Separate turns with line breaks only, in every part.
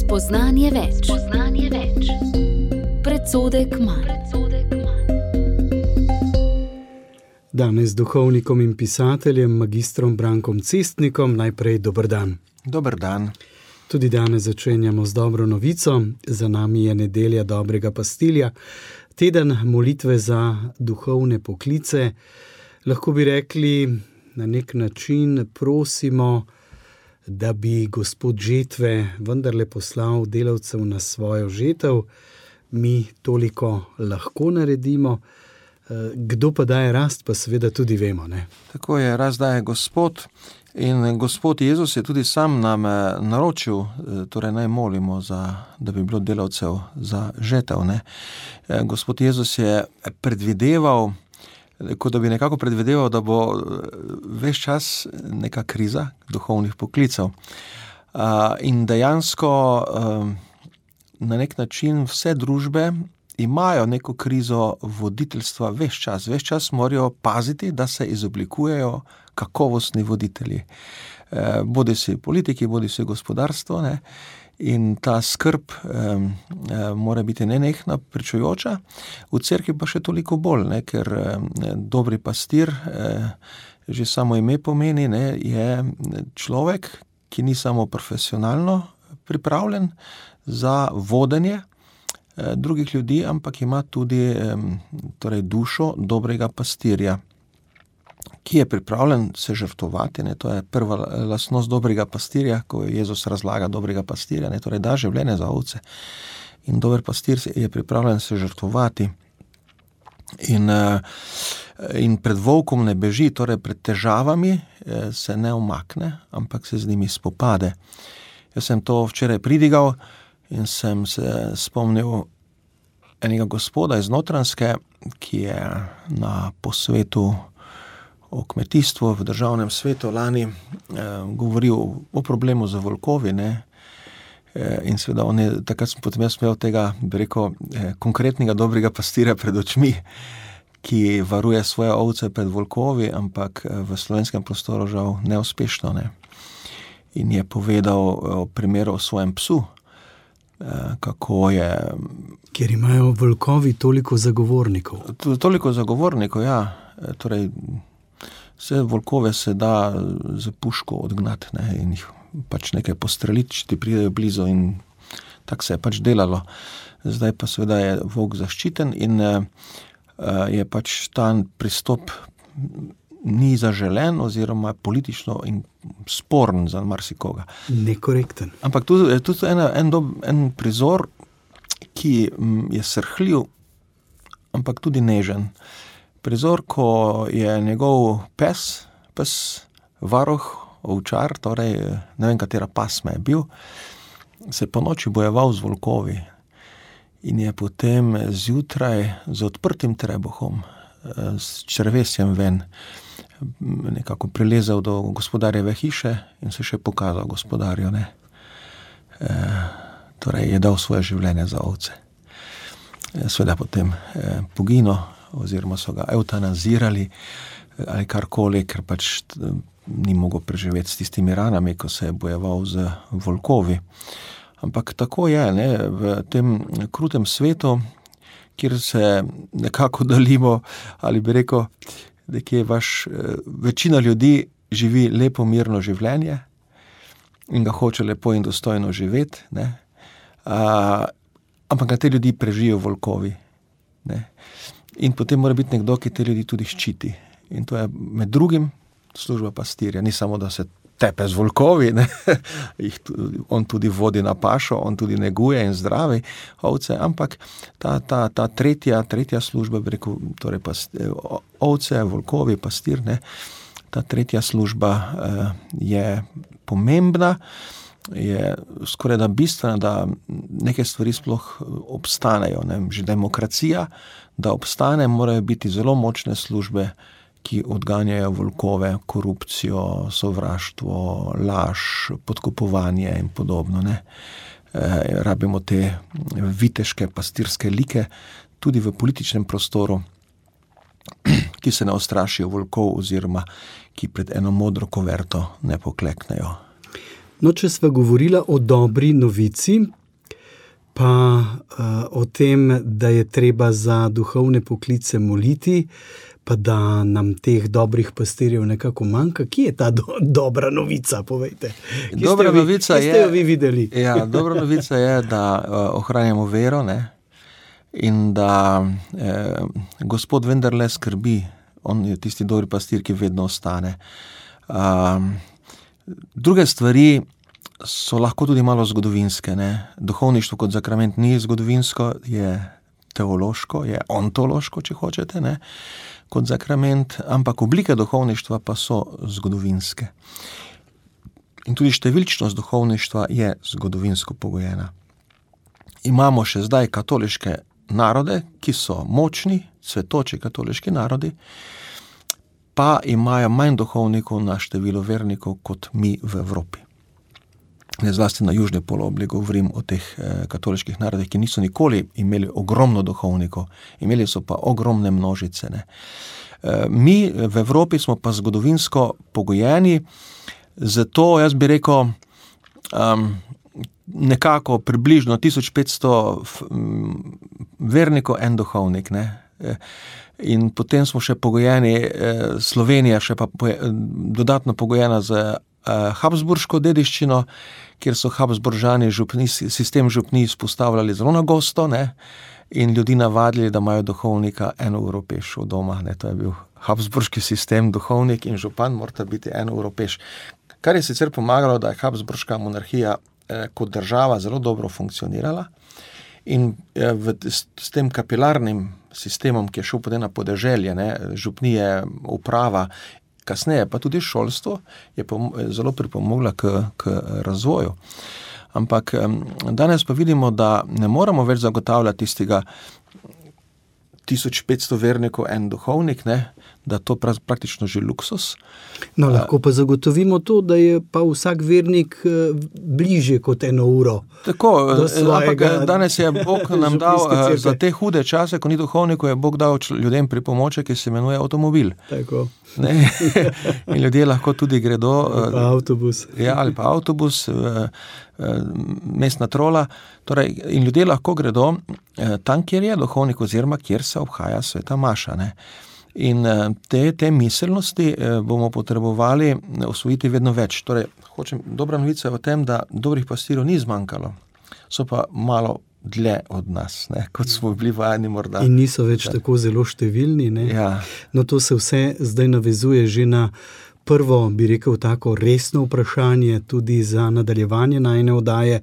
Spoznanje več. Predsodek manj.
Danes z duhovnikom in pisateljem, magistrom Brankom Cestnikom, najprej dober dan.
Dober dan.
Tudi danes začenjamo z dobro novico. Za nami je nedelja dobrega pastirja, teden molitve za duhovne poklice. Lahko bi rekli, na nek način prosimo, da bi Gospod žetve vendarle poslal delavcev na svojo žetev. Mi toliko lahko naredimo. Kdo pa daje rast, pa seveda tudi vemo, ne?
Tako je, rast daje Gospod in Gospod Jezus je tudi sam nam naročil, torej naj molimo, da bi bilo delavcev za žetev, ne? Gospod Jezus je predvideval, kot da bi nekako predvideval, da bo ves čas neka kriza duhovnih poklicev. In dejansko na nek način vse družbe imajo neko krizo voditeljstva ves čas. Ves čas morajo paziti, da se izoblikujejo kakovostni voditelji. Bodi si politiki, bodi si gospodarstvo, ne? In ta skrb mora biti nenehna, pričujoča, v cerkvi pa še toliko bolj, ne? Ker dobri pastir, že samo ime pomeni, ne? Je človek, ki ni samo profesionalno pripravljen za vodenje drugih ljudi, ampak ima tudi torej dušo dobrega pastirja, ki je pripravljen se žrtvovati, ne? To je prva lastnost dobrega pastirja, ko Jezus razlaga dobrega pastirja, ne? Torej da življenje za ovce. In dober pastir je pripravljen se žrtvovati in pred volkom ne beži, torej pred težavami se ne umakne, ampak se z njimi spopade. Jaz sem to včeraj pridigal in sem se spomnil enega gospoda iz Notranjske, ki je na posvetu o kmetijstvu v državnem svetu lani govoril o problemu z volkovi, ne? In seveda on je, takrat sem potem jaz imel tega, bi rekel, konkretnega dobrega pastirja pred očmi, ki varuje svoje ovce pred volkovi, ampak v slovenskem prostoru žal neuspešno, ne? In je povedal o primeru o svojem psu, kako je...
Ker imajo volkovi toliko zagovornikov.
Toliko zagovornikov, ja. Torej, vse volkove se da z puško odgnati, ne, in jih pač nekaj postreliti, če ti pridejo blizu, in tako se je pač delalo. Zdaj pa seveda je volk zaščiten in je pač ta pristop ni zaželen oziroma politično in sporen za marsikoga.
Nekorekten.
Ampak tu je tudi en prizor, ki je srhljiv, ampak tudi nežen. Prizor, ko je njegov pes varuh, ovčar, torej ne vem, katera pasma je bil, se po noči bojeval z volkovi in je potem zjutraj z odprtim trebuhom, s črevesjem ven, nekako prilezel do gospodarjeve hiše in se še pokazal gospodarju, ne. Torej je dal svoje življenje za ovce. Seveda potem poginil, oziroma so ga eutanazirali ali karkoli, ker pač ni mogel preživeti s tistimi ranami, ko se je bojeval z volkovi. Ampak tako je, ne, v tem krutem svetu, kjer se nekako delimo, ali bi rekel, nekje večina ljudi živi lepo, mirno življenje in ga hoče lepo in dostojno živeti, ne. Ampak na te ljudi prežijo volkovi, ne. In potem mora biti nekdo, ki te ljudi tudi ščiti. In to je med drugim služba pastirja. Ni samo, da se tepe z volkovi, ne. On tudi vodi na pašo, on tudi neguje in zdravi ovce, ampak ta tretja služba, bi rekel, torej ovce, volkovi, pastir, ne. Ta tretja služba je pomembna, je skoraj da bistvena, da neke stvari sploh obstanejo, ne. Že demokracija, da obstane, morajo biti zelo močne službe, ki odganjajo volkove, korupcijo, sovraštvo, laž, podkupovanje in podobno, ne. Rabimo te viteške, pastirske like tudi v političnem prostoru, ki se ne ustrašijo volkov oziroma ki pred eno modro koverto ne pokleknejo.
No, če sva govorila o dobri novici, pa o tem, da je treba za duhovne poklice moliti, pa da nam teh dobrih pastirjev nekako manjka. Kje je ta dobra novica, povejte? Kje ste jo vi videli?
Ja, dobra novica je, da ohranjamo vero, ne? In da Gospod vendarle skrbi. On je tisti dobri pastir, ki vedno ostane. Druge stvari so lahko tudi malo zgodovinske, ne? Duhovništvo kot zakrament ni zgodovinsko, je teološko, je ontološko, če hočete, ne? Kot zakrament, ampak oblike duhovništva pa so zgodovinske. In tudi številčnost duhovništva je zgodovinsko pogojena. Imamo še zdaj katoliške narode, ki so močni, cvetoči katoliški narodi, pa imajo manj duhovnikov na število vernikov kot mi v Evropi. Zlasti na južni polobli govorim o teh katoliških narodih, ki niso nikoli imeli ogromno duhovnikov, imeli so pa ogromne množice, ne. Mi v Evropi smo pa zgodovinsko pogojeni, zato jaz bi rekel nekako približno 1500 vernikov, en duhovnik, ne. In potem smo še pogojeni, Slovenija še pa dodatno pogojena z habsburško dediščino, kjer so Habsburžani sistem župnij izpostavljali zelo na gosto, ne, in ljudi navadili, da imajo duhovnika 1 uro peš od doma, ne, to je bil habsburški sistem, duhovnik in župan morata biti 1 uro peš. Kar je sicer pomagalo, da je habsburška monarhija kot država zelo dobro funkcionirala in s tem kapilarnim sistemom, ki je šel potem na podeželje, ne, župnije, uprava, kasneje pa tudi šolstvo je zelo pripomogla k razvoju. Ampak danes pa vidimo, da ne moramo več zagotavljati tistega 1500 vernikov, en duhovnik, ne, da to praktično že luksus.
No, lahko pa zagotovimo to, da je pa vsak vernik bližje kot 1 uro.
Tako, ampak danes je Bog nam dal za te hude čase, ko ni duhovnikov, je Bog dal ljudem pripomoček, ki se imenuje avtomobil.
Tako.
Ne? In ljudje lahko tudi gredo
avtobus.
Ja, ali pa avtobus, mestna trola, torej, in ljudje lahko gredo tam, kjer je duhovnik oziroma kjer se obhaja sveta maša, ne. In te miselnosti bomo potrebovali osvojiti vedno več. Torej, dobra novica je v tem, da dobrih pastirjev ni zmanjkalo, so pa malo dlje od nas, ne, kot smo bili vajeni morda.
In niso več tako zelo številni, ne?
Ja.
No, to se vse zdaj navezuje že na prvo, bi rekel, tako resno vprašanje tudi za nadaljevanje najine oddaje.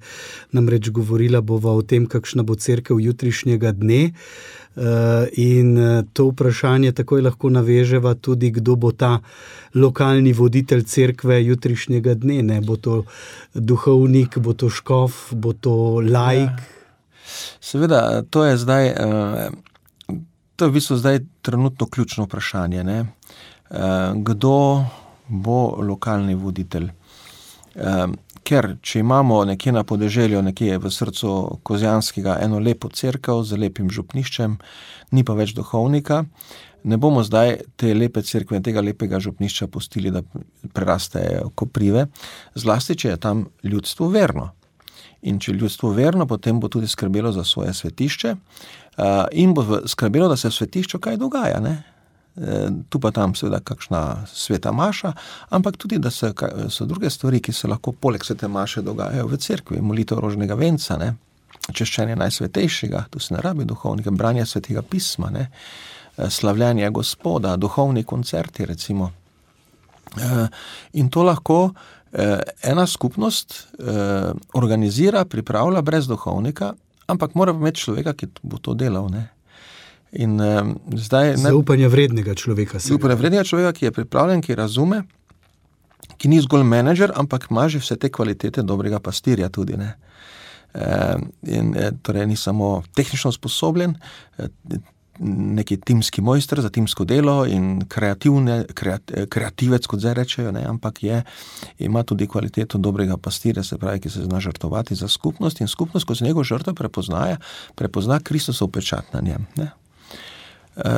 Namreč govorila bova o tem, kakšna bo cerkev jutrišnjega dne. In to vprašanje takoj lahko naveževa tudi, kdo bo ta lokalni voditelj cerkve jutrišnjega dne, ne? Bo to duhovnik, bo to škof, bo to laik?
Ja. Seveda, to je zdaj, to je v bistvu zdaj trenutno ključno vprašanje, ne? Kdo bo lokalni voditelj? Ker, če imamo nekje na podeželju, nekje v srcu Kozjanskega eno lepo cerkev z lepim župniščem, ni pa več duhovnika, ne bomo zdaj te lepe cerkve, tega lepega župnišča pustili, da prerastejo koprive, zlasti, če je tam ljudstvo verno. In če ljudstvo verno, potem bo tudi skrbelo za svoje svetišče in bo skrbelo, da se v svetišču kaj dogaja, ne? Tu pa tam seveda kakšna sveta maša, ampak tudi, da so druge stvari, ki se lahko poleg svete maše dogajajo v cerkvi, molitev rožnega venca, ne? Češčenje najsvetejšega, tu se ne rabi duhovnika, branje svetega pisma, ne? Slavljanje Gospoda, duhovni koncerti recimo. In to lahko ena skupnost organizira, pripravlja brez duhovnika, ampak mora imeti človeka, ki bo to delal, ne. In zdaj...
Zaupanja vrednega človeka.
Zaupanja vrednega človeka, ki je pripravljen, ki razume, ki ni zgolj menedžer, ampak ima že vse te kvalitete dobrega pastirja tudi, ne. In torej ni samo tehnično sposobljen, neki timski mojster za timsko delo in kreativec, kot zdaj rečejo, ne, ampak ima tudi kvaliteto dobrega pastirja, se pravi, ki se zna žrtvovati za skupnost in skupnost, ko se njegov žrtev prepozna Kristusov pečat na njem, ne.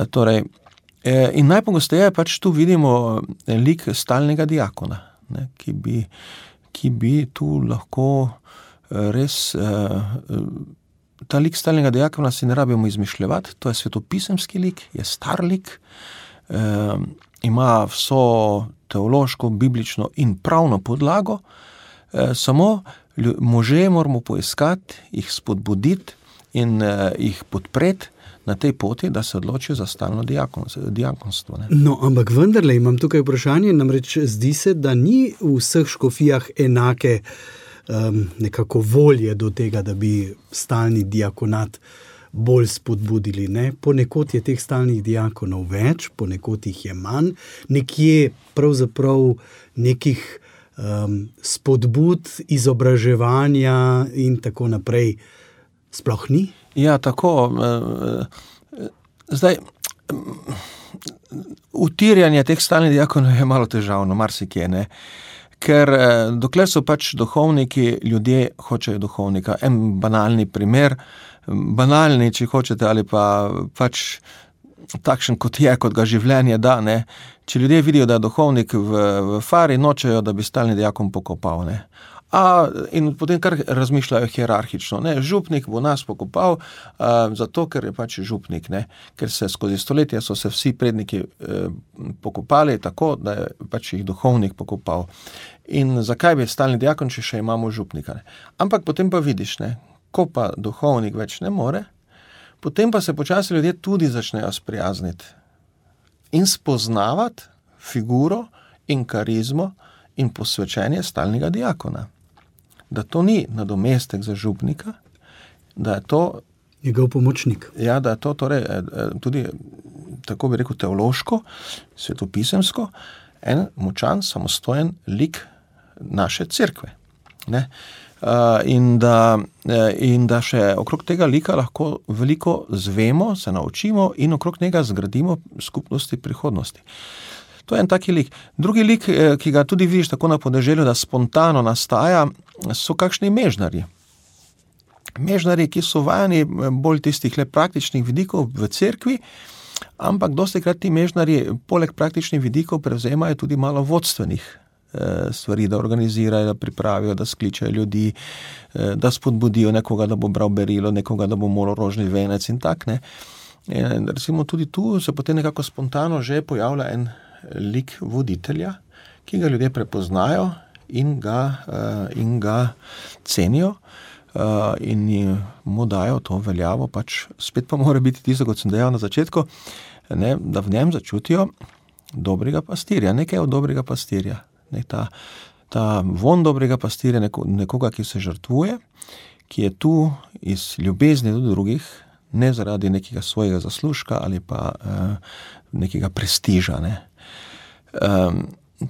Torej, in najpogosteje pač tu vidimo lik stalnega diakona, ne, ki ki bi tu lahko res, ta lik stalnega diakona si ne rabimo izmišljevati, to je svetopisemski lik, je star lik, ima vso teološko, biblično in pravno podlago, samo može moramo poiskati, jih spodbuditi in jih podpreti na tej poti, da se odločijo za stalno diakonstvo. Ne?
No, ampak vendarle imam tukaj vprašanje, namreč zdi se, da ni v vseh škofijah enake nekako volje do tega, da bi stalni diakonat bolj spodbudili. Ne? Ponekod je teh stalnih diakonov več, ponekod jih je manj, nekje pravzaprav nekih spodbud, izobraževanja in tako naprej sploh ni?
Ja, tako. Zdaj, utirjanje teh stalnih diakonov je malo težavno, marsikje, ne. Ker dokler so pač duhovniki, ljudje hočejo duhovnika. En banalni primer, banalni, če hočete, ali pa pač takšen, kot ga življenje da, ne. Če ljudje vidijo, da je duhovnik v fari, nočejo, da bi stalni diakon pokopal, ne. In potem kar razmišljajo hierarhično, ne, župnik bo nas pokopal, zato, ker je pač župnik, ne, ker se skozi stoletja so se vsi predniki pokopali tako, da je pač jih duhovnik pokopal. In zakaj bi stalni diakon, če še imamo župnika, ne. Ampak potem pa vidiš, ne, ko pa duhovnik več ne more, potem pa se počasi ljudje tudi začnejo sprijazniti in spoznavati figuro in karizmo in posvečenje stalnega diakona. Da to ni nadomestek za župnika, da je to
njegov pomočnik.
Ja, da je to torej tudi, tako bi rekel, teološko, svetopisemsko, en močan, samostojen lik naše cerkve. Ne? In da še okrog tega lika lahko veliko zvemo, se naučimo in okrog njega zgradimo skupnosti prihodnosti. To je en taki lik. Drugi lik, ki ga tudi vidiš tako na podeželju, da spontano nastaja, so kakšni mežnarji. Mežnarji, ki so vajeni bolj tistih le praktičnih vidikov v cerkvi, ampak dostikrat ti mežnarji poleg praktičnih vidikov prevzemajo tudi malo vodstvenih stvari, da organizirajo, da pripravijo, da skličajo ljudi, da spodbudijo nekoga, da bo bral berilo, nekoga, da bo molil rožni venec in tak, ne. In recimo tudi tu se potem nekako spontano že pojavlja en lik voditelja, ki ga ljudje prepoznajo in ga cenijo in mu dajo to veljavo, pač spet pa mora biti tisto, kot sem dejal na začetku, ne, da v njem začutijo dobrega pastirja, nekaj od dobrega pastirja. Ne, ta von dobrega pastirja, nekoga, ki se žrtvuje, ki je tu iz ljubezni do drugih, ne zaradi nekega svojega zaslužka ali pa nekega prestiža, ne.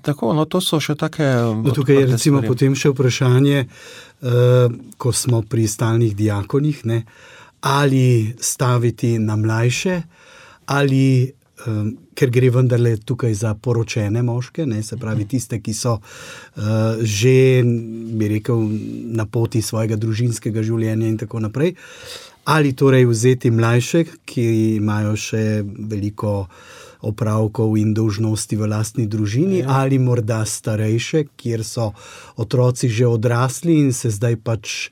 Tako, no, to so še take...
Tukaj je recimo potem še vprašanje, ko smo pri stalnih diakonih, ne, ali staviti na mlajše, ali, ker gre vendarle tukaj za poročene moške, ne, se pravi tiste, ki so že, bi rekel, na poti svojega družinskega življenja in tako naprej, ali torej vzeti mlajše, ki imajo še veliko opravkov in dolžnosti v lastni družini, ali morda starejše, kjer so otroci že odrasli in se zdaj pač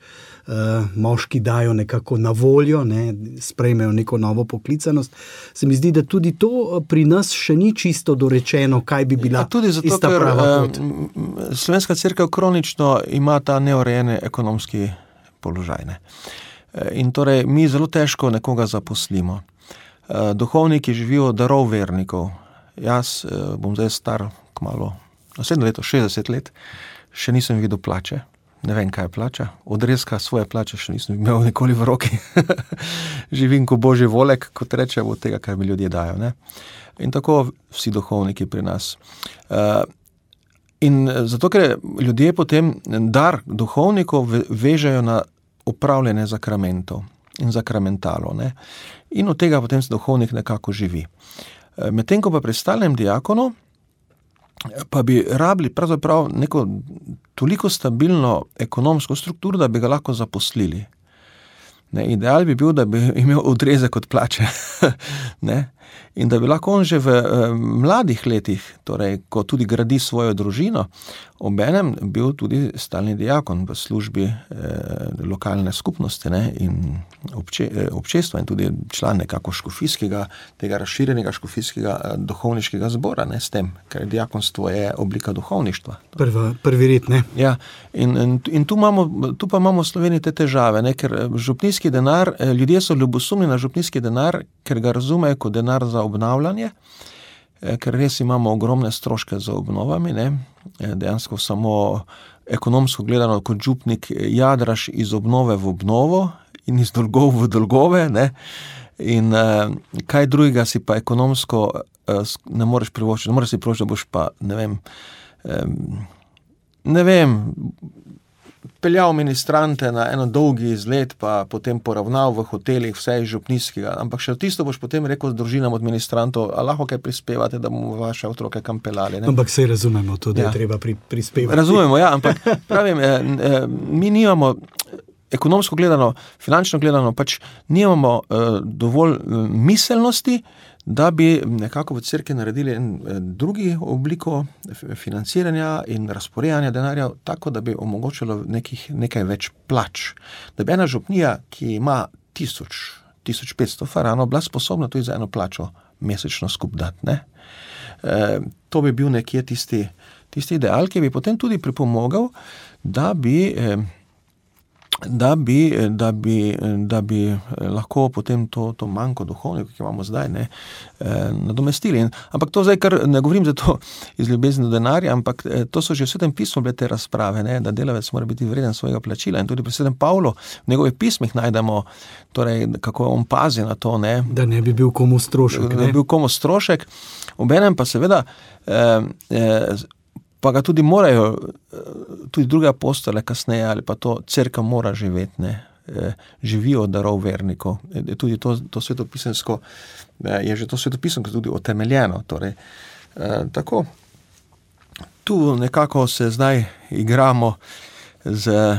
moški dajo nekako na voljo, ne, sprejmejo neko novo poklicanost. Se mi zdi, da tudi to pri nas še ni čisto dorečeno, kaj bi bila
tudi zato,
ista prava pot.
Slovenska cerkev kronično ima ta neurejeni ekonomski položaj, ne. In torej mi zelo težko nekoga zaposlimo. Duhovniki živijo od darov vernikov. Jaz bom zdaj star kmalu, naslednje leto, 60 let, še nisem videl plače. Ne vem, kaj je plača. Odrezka svoje plače še nisem imel nikoli v roki. Živim ko božji volek, kot rečem, od tega, kar mi ljudje dajo, ne. In tako vsi duhovniki pri nas. In zato, ker ljudje potem dar duhovnikov vežejo na upravljanje zakramentov in zakramentalo, ne. In od tega potem se duhovnik nekako živi. Medtem ko pa pri stalnem diakonu pa bi rabili pravzaprav neko toliko stabilno ekonomsko strukturo, da bi ga lahko zaposlili. Ideal bi bil, da bi imel odrezek od plače. Ne? In da bi lahko on že v mladih letih, torej, ko tudi gradi svojo družino, obenem bil tudi stalni diakon v službi lokalne skupnosti, ne? In občestva in tudi član nekako škofijskega, tega razširjenega škofijskega duhovniškega zbora, ne? S tem, ker diakonstvo je oblika duhovništva.
Prvi red, ne?
Ja, in tu pa imamo v Sloveniji te težave, ne? Ker župnijski denar, ljudje so ljubosumni na župnijski denar, ker ga razumejo kot denar za obnavljanje, ker res imamo ogromne stroške za obnovami, ne? Dejansko samo ekonomsko gledano kot župnik jadraš iz obnove v obnovo in iz dolgov v dolgove, ne? In kaj drugega si pa ekonomsko ne moreš privoščiti, ne moreš si privoščiti, da boš pa, ne vem, peljal ministrante na eno dolgi izlet, pa potem poravnal v hotelih vse iz župnijskega, ampak še tisto boš potem rekel z družinam od ministrantov, a lahko kaj prispevate, da bomo vaše otroke kam peljali. Ne?
Ampak sej razumemo to, da je treba prispevati.
Razumemo, ja, ampak pravim, mi nimamo, ekonomsko gledano, finančno gledano, pač nimamo dovolj miselnosti, da bi nekako v cerkvi naredili drugi obliko financiranja in razporejanja denarja, tako da bi omogočilo nekaj več plač. Da bi ena župnija, ki ima 1500 faranov, bila sposobna tudi za eno plačo mesečno skup dati, ne? To bi bil nekje tisti ideal, ki bi potem tudi pripomogel, da bi lahko potem to manjko duhovnikov, ki imamo zdaj, ne, nadomestili. Ampak to zdaj, kar ne govorim za to iz ljubezni do denarja, ampak to so že v Svetem pismu bile te razprave, ne, da delavec mora biti vreden svojega plačila. In tudi pri Svetem Pavlu v njegovih pismih najdemo, torej, kako on pazi na to, ne.
Da ne bi bil komu strošek.
Da ne bi bil komu strošek. Obenem pa seveda pa ga tudi morajo, tudi druge apostole kasneje, ali pa to cerkev mora živeti, ne, živijo od darov vernikov. Tudi to svetopisemsko, je že to svetopisemsko tudi utemeljeno, torej, tako. Tu nekako se zdaj igramo z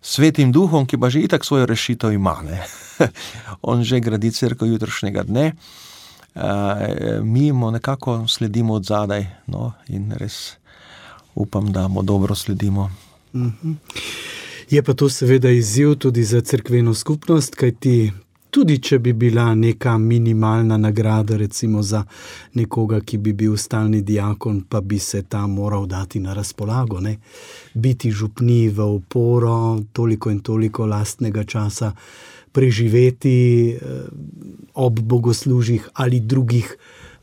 Svetim Duhom, ki pa že itak svojo rešitev ima, ne. On že gradi cerkev jutrišnjega dne, mi mu nekako sledimo od zadaj, no, in res upam, da mu dobro sledimo.
Je pa to seveda izziv tudi za cerkveno skupnost, kajti tudi če bi bila neka minimalna nagrada recimo za nekoga, ki bi bil stalni diakon, pa bi se ta moral dati na razpolago, ne? Biti župni v oporo, toliko in toliko lastnega časa preživeti ob bogoslužjih ali drugih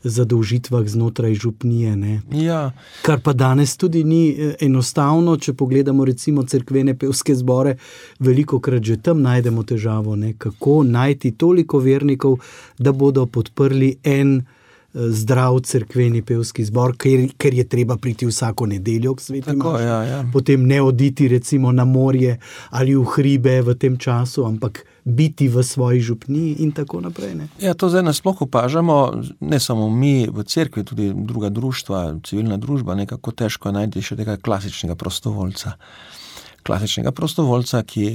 zadolžitvah znotraj župnije, ne?
Ja.
Kar pa danes tudi ni enostavno, če pogledamo recimo cerkvene pevske zbore, velikokrat že tam najdemo težavo, ne? Kako najti toliko vernikov, da bodo podprli en zdrav cerkveni pevski zbor, ker je treba priti vsako nedeljo k sveti maši.
Ja. Potem
ne oditi recimo na morje ali v hribe v tem času, ampak biti v svoji župniji in tako naprej. Ne?
Ja, to zdaj nasploh opažamo, ne samo mi v cerkvi, tudi druga društva, civilna družba, nekako težko je najti še tega klasičnega prostovoljca. Ki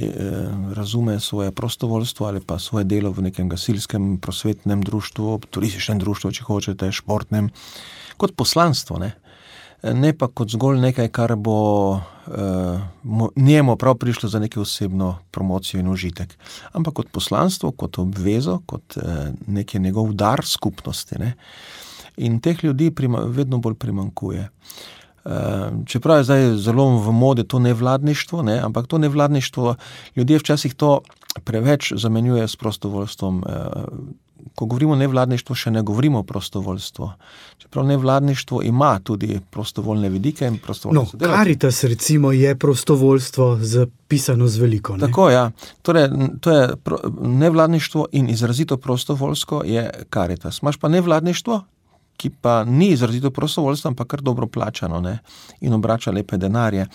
razume svoje prostovoljstvo ali pa svoje delo v nekem gasilskem, prosvetnem društvu, turističnem društvu, če hočete, športnem, kot poslanstvo, ne pa kot zgolj nekaj, kar bo njemu prav prišlo za neko osebno promocijo in užitek, ampak kot poslanstvo, kot obvezo, kot neki njegov dar skupnosti, ne. In teh ljudi vedno bolj primanjkuje. Čeprav je zdaj zelo v modi to nevladništvo, ne, ampak to nevladništvo, ljudje včasih to preveč zamenjuje s prostovoljstvom. Ko govorimo o nevladništvu, še ne govorimo o prostovoljstvu. Čeprav nevladništvo ima tudi prostovoljne vidike in prostovoljne sodelavce.
Caritas recimo je prostovoljstvo zapisano z veliko, ne?
Tako, ja. Torej, to je nevladništvo in izrazito prostovoljsko je Caritas. Imaš pa nevladništvo, ki pa ni izrazito prostovoljstvo, ampak kar dobro plačano, ne, in obrača lepe denarje.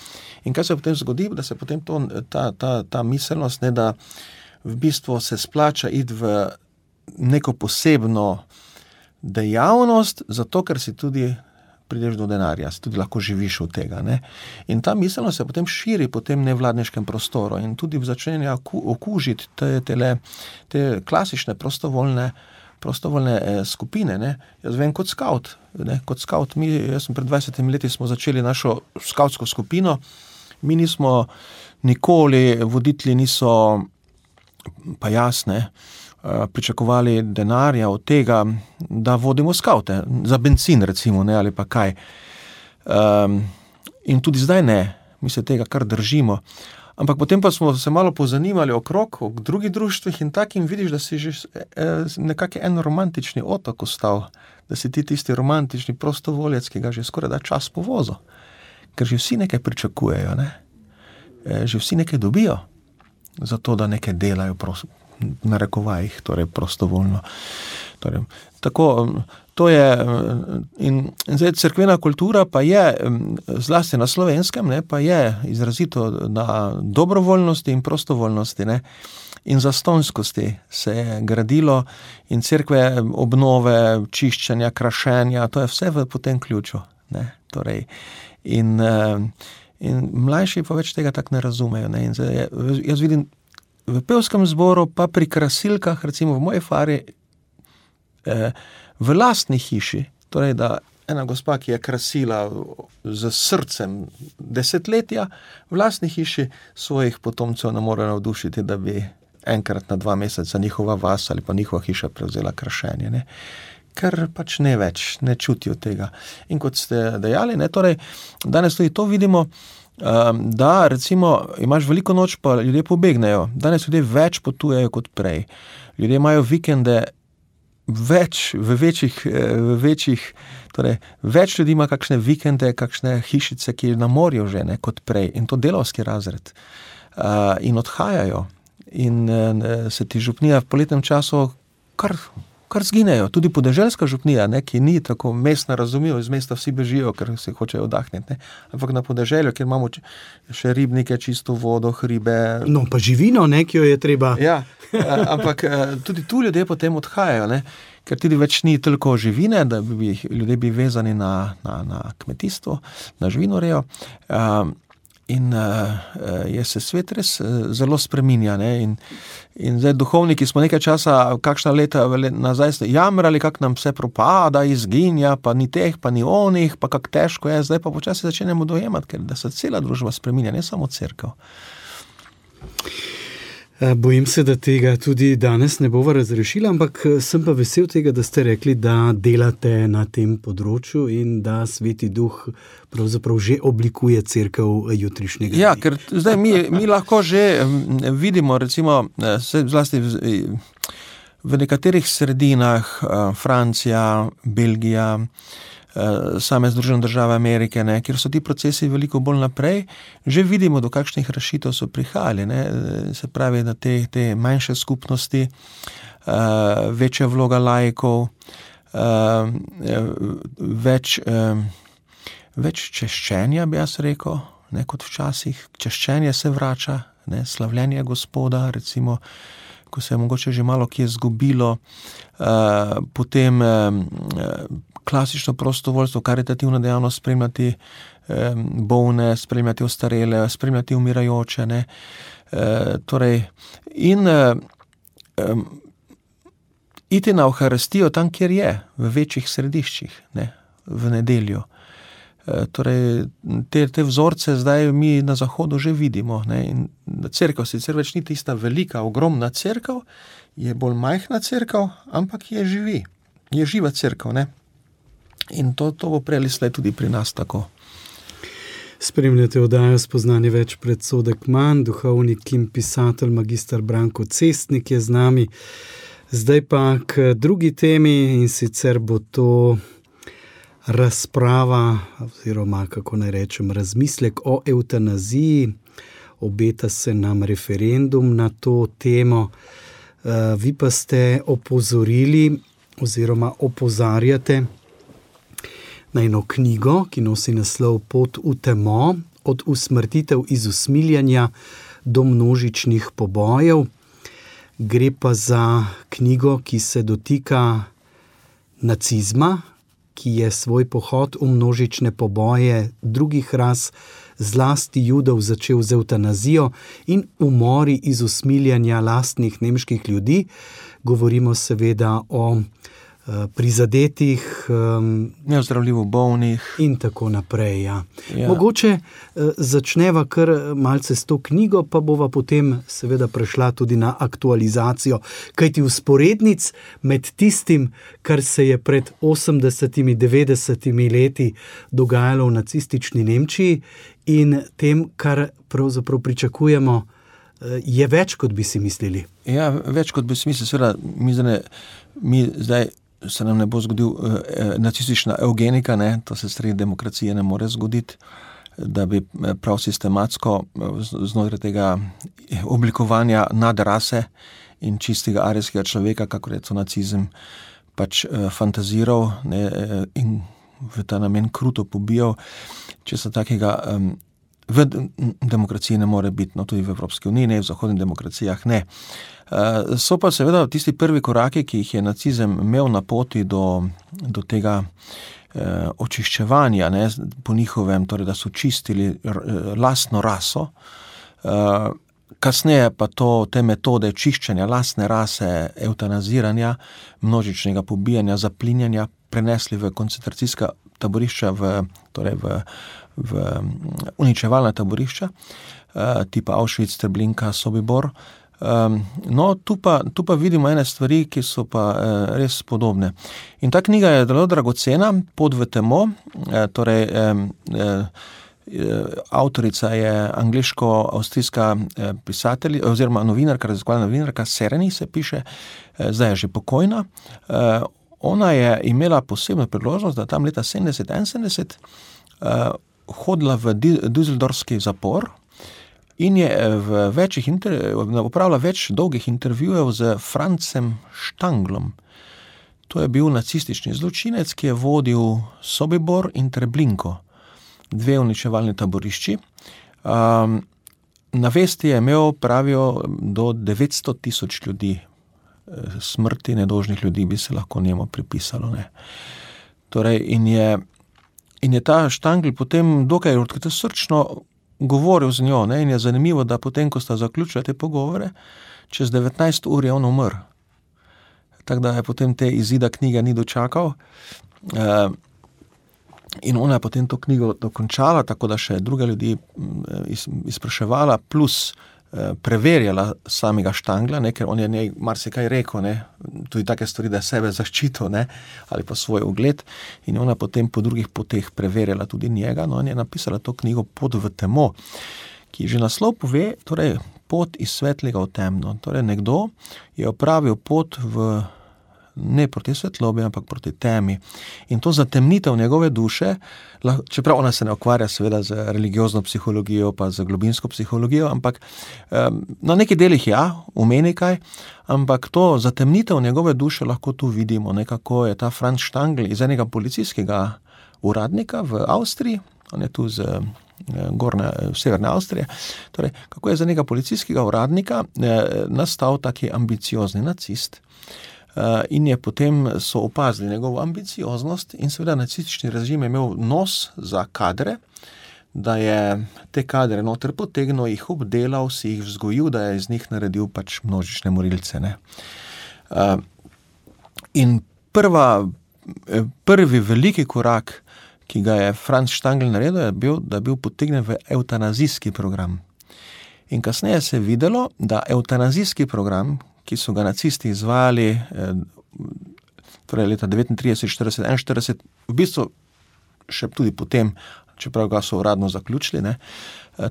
In kaj se potem zgodi, da se potem ta miselnost, ne, da v bistvu se splača iti v neko posebno dejavnost, zato ker si tudi prideš do denarja, tudi lahko živiš od tega. Ne? In ta miselnost se potem širi po tem nevladniškem prostoru in tudi začenja okužiti te klasične prostovoljne skupine. Ne? Jaz vem kot skavt. Jaz sem pred 20 leti smo začeli našo skavtsko skupino. Mi nismo nikoli, voditelji niso, pa jasne, pričakovali denarja od tega, da vodimo skavte, za bencin recimo, ne, ali pa kaj. In tudi zdaj ne, mi se tega kar držimo. Ampak potem pa smo se malo pozanimali okrog drugih društvih in takim vidiš, da si že nekako en romantični otok ostal, da si ti tisti romantični prostovoljec, ki ga že skoraj da čas povozo. Ker že vsi nekaj pričakujejo, ne? Že vsi nekaj dobijo, zato da nekaj delajo na rekovajih, torej prostovoljno. Torej, tako, to je, in zdaj cerkvena kultura pa je, zlasti na Slovenskem, ne, pa je izrazito na dobrovoljnosti in prostovoljnosti, ne, in zastonjskosti se je gradilo in cerkve obnove, čiščenja, krašenja, to je vse po tem ključu, ne, torej, in mlajši pa več tega tako ne razumejo, ne, in zdaj jaz vidim v pevskem zboru, pa pri krasilkah, recimo v moji fari, v lastni hiši, torej da ena gospa, ki je krasila z srcem desetletja, v lastni hiši svojih potomcev ne more navdušiti, da bi enkrat na 2 meseca njihova vas ali pa njihova hiša prevzela krašenje, ne. Ker pač ne več, ne čutijo tega. In kot ste dejali, ne, torej, danes tudi to vidimo, da recimo imaš veliko noč, pa ljudje pobegnejo. Danes ljudje več potujejo kot prej. Ljudje imajo vikende več, v večjih, torej več ljudi ima kakšne vikende, kakšne hišice, ki na morju že, ne, kot prej. In to delavski razred. In odhajajo. In se ti župnija v poletnem času kar zginejo. Tudi podeželska župnija, ne, ki ni tako mestna, razumljivo, iz mesta vsi bežijo, ker se hočejo oddahniti, ne. Ampak na podeželju, kjer imamo še ribnike, čisto vodo, hribe.
No, pa živino, ne, ki jo je treba.
Ja, ampak tudi tu ljudje potem odhajajo, ne, ker tudi več ni toliko živine, da ljudje bi vezani na kmetijstvo, na živinorejo. In je se svet res zelo spreminja, ne, in zdaj duhovniki smo nekaj časa, kakšna leta nazaj jamrali, kak nam vse propada, izginja, pa ni teh, pa ni onih, pa kak težko je, zdaj pa počasi začenjamo dojemati, ker da se cela družba spreminja, ne samo cerkev.
Bojim se, da tega tudi danes ne bova razrešila, ampak sem pa vesel tega, da ste rekli, da delate na tem področju in da Sveti Duh pravzaprav že oblikuje cerkev jutrišnjega dne.
Ja, ker zdaj mi lahko že vidimo, recimo, zlasti v nekaterih sredinah, Francija, Belgija, same Združene države Amerike, ne, kjer so ti procesi veliko bolj naprej, že vidimo, do kakšnih rešitev so prihajali, ne, se pravi, da te manjše skupnosti, večja vloga laikov, več češčenja, bi jaz rekel, ne, kot včasih. Češčenje se vrača, ne, slavljenje Gospoda, recimo, ko se je mogoče že malo kje zgubilo, potem klasično prostovoljstvo, karitativna dejavnost, spremljati bolne, spremljati ostarele, spremljati umirajoče, ne. Torej, in iti na Evharistijo tam, kjer je, v večjih središčih, ne, v nedeljo. Torej, te vzorce zdaj mi na Zahodu že vidimo, ne, in cerkev sicer več ni tista velika, ogromna cerkev, je bolj majhna cerkev, ampak je živa cerkev, ne. In to bo prej ali slej tudi pri nas tako.
Spremljate oddajo Spoznanje več predsodek manj, duhovnik in pisatelj magister Branko Cestnik je z nami. Zdaj pa k drugi temi, in sicer bo to razprava, oziroma kako naj rečem, razmislek o evtanaziji. Obeta se nam referendum na to temo. Vi pa ste opozorili oziroma opozarjate na eno knjigo, ki nosi naslov Pot v temo, od usmrtitev iz usmiljenja do množičnih pobojev. Gre pa za knjigo, ki se dotika nacizma, ki je svoj pohod v množične poboje drugih ras, zlasti Judov, začel z evtanazijo in umori iz usmiljanja lastnih nemških ljudi. Govorimo seveda o prizadetih,
neozdravljivo bolnih
in tako naprej. Ja. Mogoče začneva kar malce s to knjigo, pa bova potem seveda prešla tudi na aktualizacijo, kajti vzporednic med tistim, kar se je pred 80-90 leti dogajalo v nacistični Nemčiji in tem, kar pravzaprav pričakujemo, je več, kot bi si mislili.
Ja, več, kot bi si mislili. Seveda, mi zdaj se nam ne bo zgodil nacistična eugenika, ne? To se sredi demokracije ne more zgoditi, da bi prav sistematsko znotraj tega oblikovanja nadrase in čistega arijskega človeka, kakor je to nacizem, pač fantaziral, ne? In v ta namen kruto pobijal, če se takega v demokraciji ne more biti, no tudi v Evropski uniji, ne, v zahodnih demokracijah ne. So pa seveda tisti prvi koraki, ki jih je nacizem imel na poti do tega očiščevanja, ne, po njihovem, torej da so čistili lastno raso. Kasneje pa te metode čiščenja lastne rase, evtanaziranja, množičnega pobijanja, zaplinjanja prenesli v koncentracijska taborišča, v uničevalna taborišča, tipa Auschwitz, Treblinka, Sobibor. No, tu pa vidimo ene stvari, ki so pa res podobne. In ta knjiga je zelo dragocena, Pot v temo, torej avtorica je angleško-avstrijska pisateljica oziroma novinarka, raziskovalna novinarka, Sereni se piše, zdaj je že pokojna. Ona je imela posebno priložnost, da tam leta 71 hodila v Düsseldorfski zapor in je opravila več dolgih intervjujev z Francem Štanglom. To je bil nacistični zločinec, ki je vodil Sobibor in Treblinko, dve uničevalni taborišči. Na vesti je imel, pravijo, do 900,000 ljudi. Smrti nedožnih ljudi bi se lahko njemu pripisalo. Ne. Torej, in je ta Štangl potem dokaj srčno govoril z njo, ne, in je zanimivo, da potem, ko sta zaključila te pogovore, čez 19 ur je on umrl. Tako da je potem te izida knjige ni dočakal. In ona je potem to knjigo dokončala, tako da še druge ljudi izpraševala, plus preverjala samega Štangla, ne, ker on je njej marsikaj rekel, ne, tudi take stvari, da je sebe zaščitil, ne, ali pa svoj ugled, in ona potem po drugih poteh preverjala tudi njega, no, in je napisala to knjigo Pot v temo, ki že naslov pove, torej pot iz svetlega v temno. Torej nekdo je opravil pot ne proti svetlobi, ampak proti temi. In to zatemnitev njegove duše, čeprav ona se ne ukvarja seveda z religiozno psihologijo, pa z globinsko psihologijo, ampak na nekaj delih umeni kaj, ampak to zatemnitev njegove duše lahko tu vidimo, nekako je ta Franz Štangl iz enega policijskega uradnika v Avstriji, on je tu z severne Avstrije, torej kako je za nekega policijskega uradnika nastal taki ambiciozni nacist. In je potem so opazili njegovo ambicioznost in seveda nacistični režim je imel nos za kadre, da je te kadre noter potegnil, jih obdelal, si jih vzgojil, da je iz njih naredil pač množične morilce. Ne. In prvi veliki korak, ki ga je Franz Štangl naredil, je bil, da je bil potegnjen v evtanazijski program. In kasneje se je videlo, da evtanazijski program, ki so ga nacisti izvajali torej leta 39, 40, 41, v bistvu še tudi potem, čeprav ga so uradno zaključili, ne,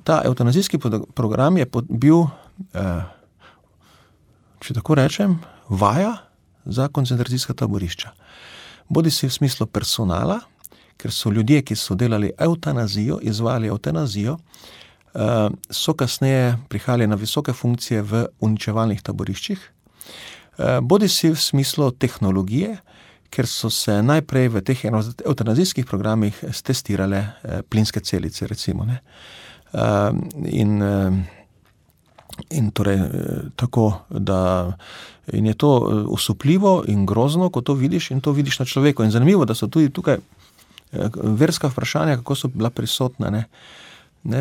ta evtanazijski program je bil, če tako rečem, vaja za koncentracijska taborišča. Bodisi v smislu personala, ker so ljudje, ki so delali evtanazijo, izvajali evtanazijo, so kasneje prihajali na visoke funkcije v uničevalnih taboriščih, bodisi v smislu tehnologije, ker so se najprej v teh evtanazijskih programih testirale plinske celice, recimo. Ne. In torej tako, da in je to osupljivo in grozno, ko to vidiš in to vidiš na človeku. In zanimivo, da so tudi tukaj verska vprašanja, kako so bila prisotna. Ne?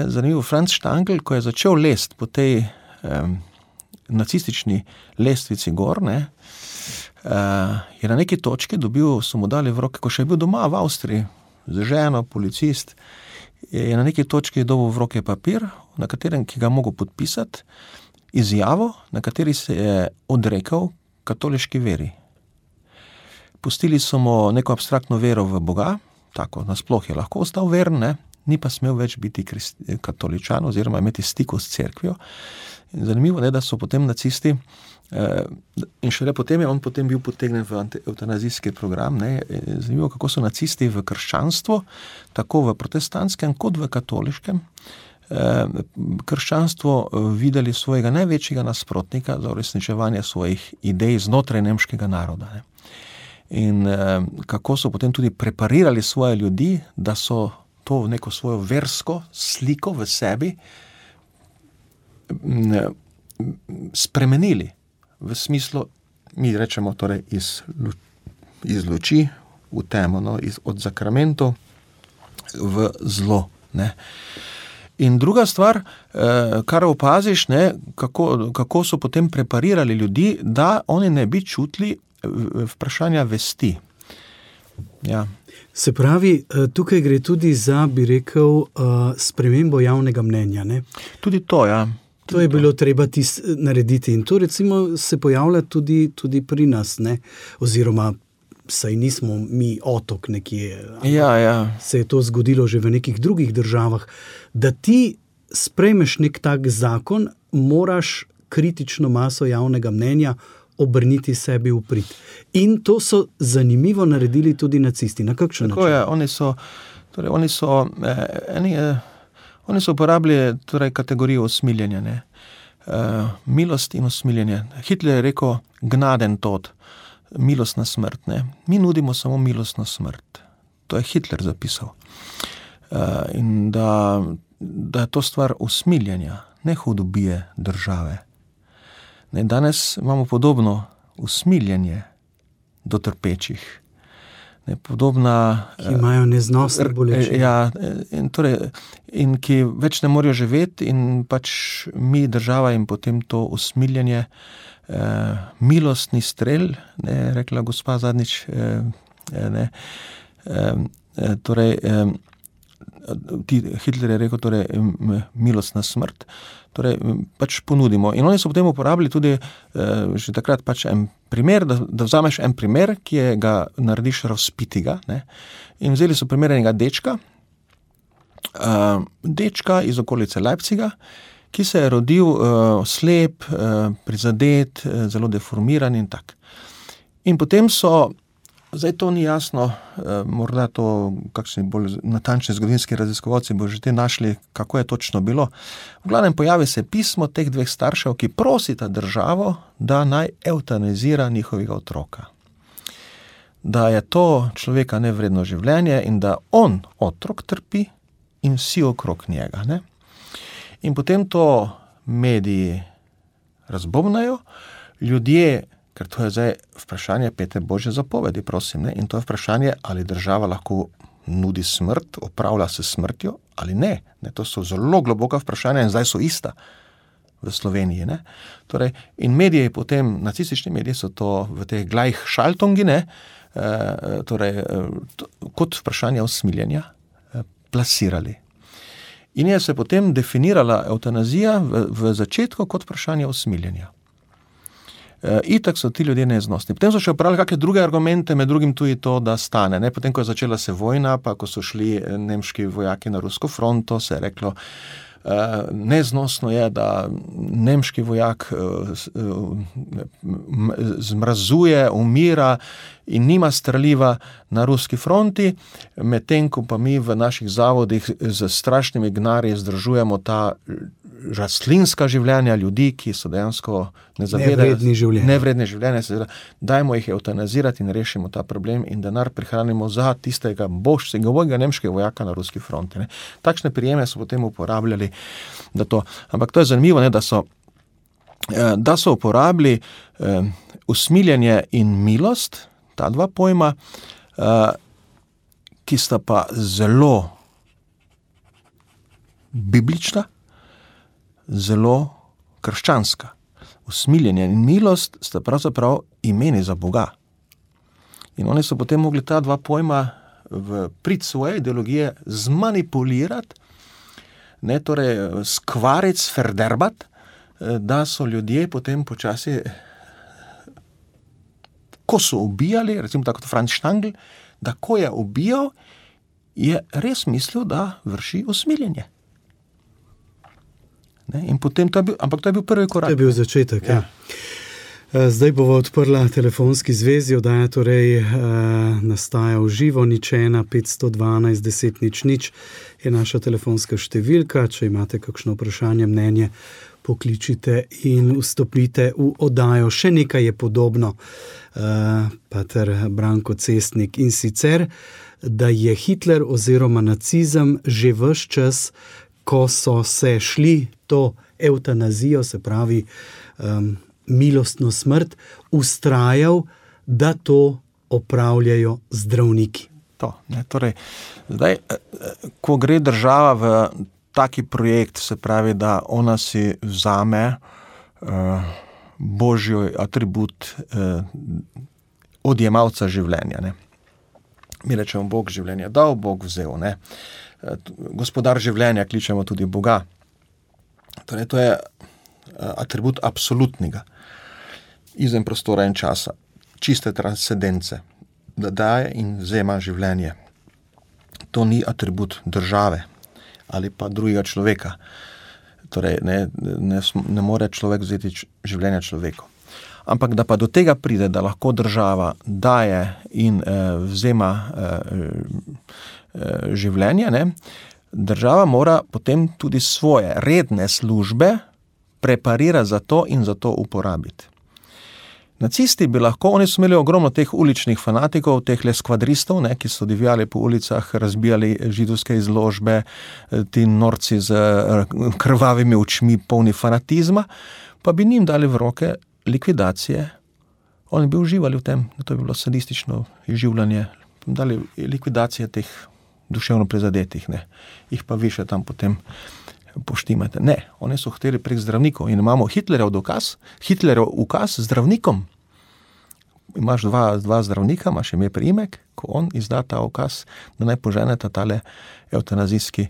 Zanimivo, Franz Stangl, ko je začel lest po tej nacistični lestvici gor, je na neki točki so mu dali v roke, ko še je bil doma v Avstriji, z ženo, policist, je na neki točki dobil v roke papir, na katerem, ki ga mogel podpisati, izjavo, na kateri se je odrekel katoliški veri. Pustili so mu neko abstraktno vero v Boga, tako nasploh je lahko ostal veren, ni pa smel več biti katoličan oziroma imeti stiku s cerkvijo. In zanimivo je, da so potem nacisti, in šele potem je on potem bil potegnen v eutanazijski program, zanimivo, kako so nacisti v krščanstvo, tako v protestantskem kot v katoliškem, krščanstvo videli svojega največjega nasprotnika za uresničevanje svojih idej znotraj nemškega naroda. In kako so potem tudi preparirali svoje ljudi, da so to neko svojo versko sliko v sebi spremenili v smislu, mi rečemo torej iz luči v temo, od zakramentov v zlo. In druga stvar, kar opaziš, kako so potem preparirali ljudi, da oni ne bi čutili vprašanja vesti. Ja.
Se pravi, tukaj gre tudi za, bi rekel, spremembo javnega mnenja.
Tudi to, ja.
To je bilo treba narediti in to recimo se pojavlja tudi pri nas, oziroma saj nismo mi otok nekje.
Ja.
Se je to zgodilo že v nekih drugih državah. Da ti sprejmeš nek tak zakon, moraš kritično maso javnega mnenja obrniti sebi v prid. In to so zanimivo naredili tudi nacisti. Na kakšen način?
Tako je, oni so uporabili kategorijo usmiljenja. Milost in usmiljenje. Hitler je rekel gnaden tod, milostna smrt. Mi nudimo samo milostno smrt. To je Hitler zapisal. In da je to stvar usmiljenja, ne hudobije države. Danes imamo podobno usmiljenje do trpečih. Podobna,
ki imajo neznosne bolečine.
Ja, in ki več ne morejo živeti in pač mi, država, in potem to usmiljenje, milostni strel, rekla gospa zadnjič, Hitler je rekel, milostna smrt, pač ponudimo. In oni so potem uporabili tudi že takrat pač en primer, da vzameš en primer, ki ga narediš razpitiga, in vzeli so primer enega dečka iz okolice Leipziga, ki se je rodil slep, prizadet, zelo deformiran in tak. In potem so, zdaj to ni jasno, morda to kakšni bolj natančni zgodovinski raziskovalci bo že te našli, kako je točno bilo. V glavnem pojavi se pismo teh dveh staršev, ki prosita državo, da naj eutanazira njihovega otroka. Da je to človeka nevredno življenje in da on, otrok, trpi in vsi okrog njega. In potem to mediji razbobnajo, ljudje, ker to je zdaj vprašanje pete Božje zapovedi, prosim, in to je vprašanje, ali država lahko nudi smrt, opravlja se smrtjo ali ne. To so zelo globoka vprašanja in zdaj so ista v Sloveniji. In mediji potem, nacistični mediji so to v teh Gleichschaltungi, kot vprašanje usmiljenja plasirali. In je se potem definirala eutanazija v začetku kot vprašanje usmiljenja. Itak so ti ljudje neznosni. Potem so še upravili kakšne druge argumente, med drugim tudi to, da stane. Potem, ko je začela se vojna, pa ko so šli nemški vojaki na rusko fronto, se je reklo, neznosno je, da nemški vojak zmrazuje, umira in nima streliva na ruski fronti, medtem ko pa mi v naših zavodih z strašnimi gnarji zdržujemo ta rastlinska življenja ljudi, ki so dejansko nevredni življenja, dajmo jih eutanazirati in rešimo ta problem in denar prihranimo za tistega božjega nemškega vojaka na ruski fronti. Takšne prijeme so potem uporabljali, da to. Ampak to je zanimivo, da so da so uporabili usmiljenje in milost, ta dva pojma, ki sta pa zelo biblična, zelo krščanska. Usmiljenje in milost sta pravzaprav imeni za Boga. In oni so potem mogli ta dva pojma v prid svoje ideologije zmanipulirati, torej skvariti, sferderbati, da so ljudje potem počasi, ko so ubijali, recimo tako kot Franz Stangl, da ko je ubijal, je res mislil, da vrši usmiljenje. In potem to je bil prvi korak.
To je bil začetek, ja. Zdaj bova odprla telefonski zvezi, oddaja torej nastaja v živo, 01 512 10 00 je naša telefonska številka. Če imate kakšno vprašanje, mnenje, pokličite in vstopite v oddajo. Še nekaj je podobno, pater Branko Cestnik, in sicer, da je Hitler oziroma nacizem že ves čas, ko so se šli to evtanazijo, se pravi milostno smrt, ustrajal, da to opravljajo zdravniki.
Torej, zdaj, ko gre država v taki projekt, se pravi, da ona si vzame božji atribut odjemalca življenja. Mi rečemo, Bog življenja dal, Bog vzel. Gospodar življenja kličemo tudi Boga. Torej, to je atribut absolutnega, izven prostora in časa, čiste transcendence, da daje in vzema življenje. To ni atribut države ali pa drugega človeka. Torej, ne more človek vzeti življenja človeku. Ampak da pa do tega pride, da lahko država daje in vzema življenje, država mora potem tudi svoje redne službe preparirati za to in za to uporabiti. Nacisti bi lahko, oni so imeli ogromno teh uličnih fanatikov, teh skvadristov, ki so divjali po ulicah, razbijali židovske izložbe, ti norci z krvavimi očmi, polni fanatizma, pa bi njim dali v roke likvidacije. Oni bi uživali v tem, da to bi bilo sadistično izživljanje, dali likvidacije teh duševno prizadetih, jih pa vi še tam potem poštimate. Ne, oni so hteli prek zdravnikov in imamo Hitlerjev ukaz zdravnikom. Imaš dva zdravnika, imaš ime priimek, ko on izda ta ukaz, da naj poženeta tale evtanazijski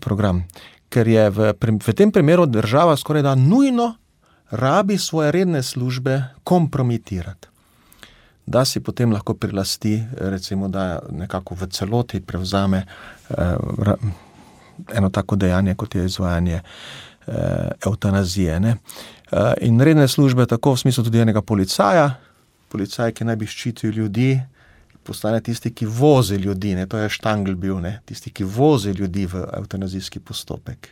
program. Ker je v tem primeru država skoraj da nujno rabi svoje redne službe kompromitirati. Da si potem lahko prilasti, recimo, da nekako v celoti prevzame eno tako dejanje, kot je izvajanje evtanazije. In redne službe, tako v smislu tudi enega policaja, policaj, ki naj bi ščitil ljudi, postane tisti, ki vozi ljudi, to je Stangl bil, tisti, ki vozi ljudi v evtanazijski postopek.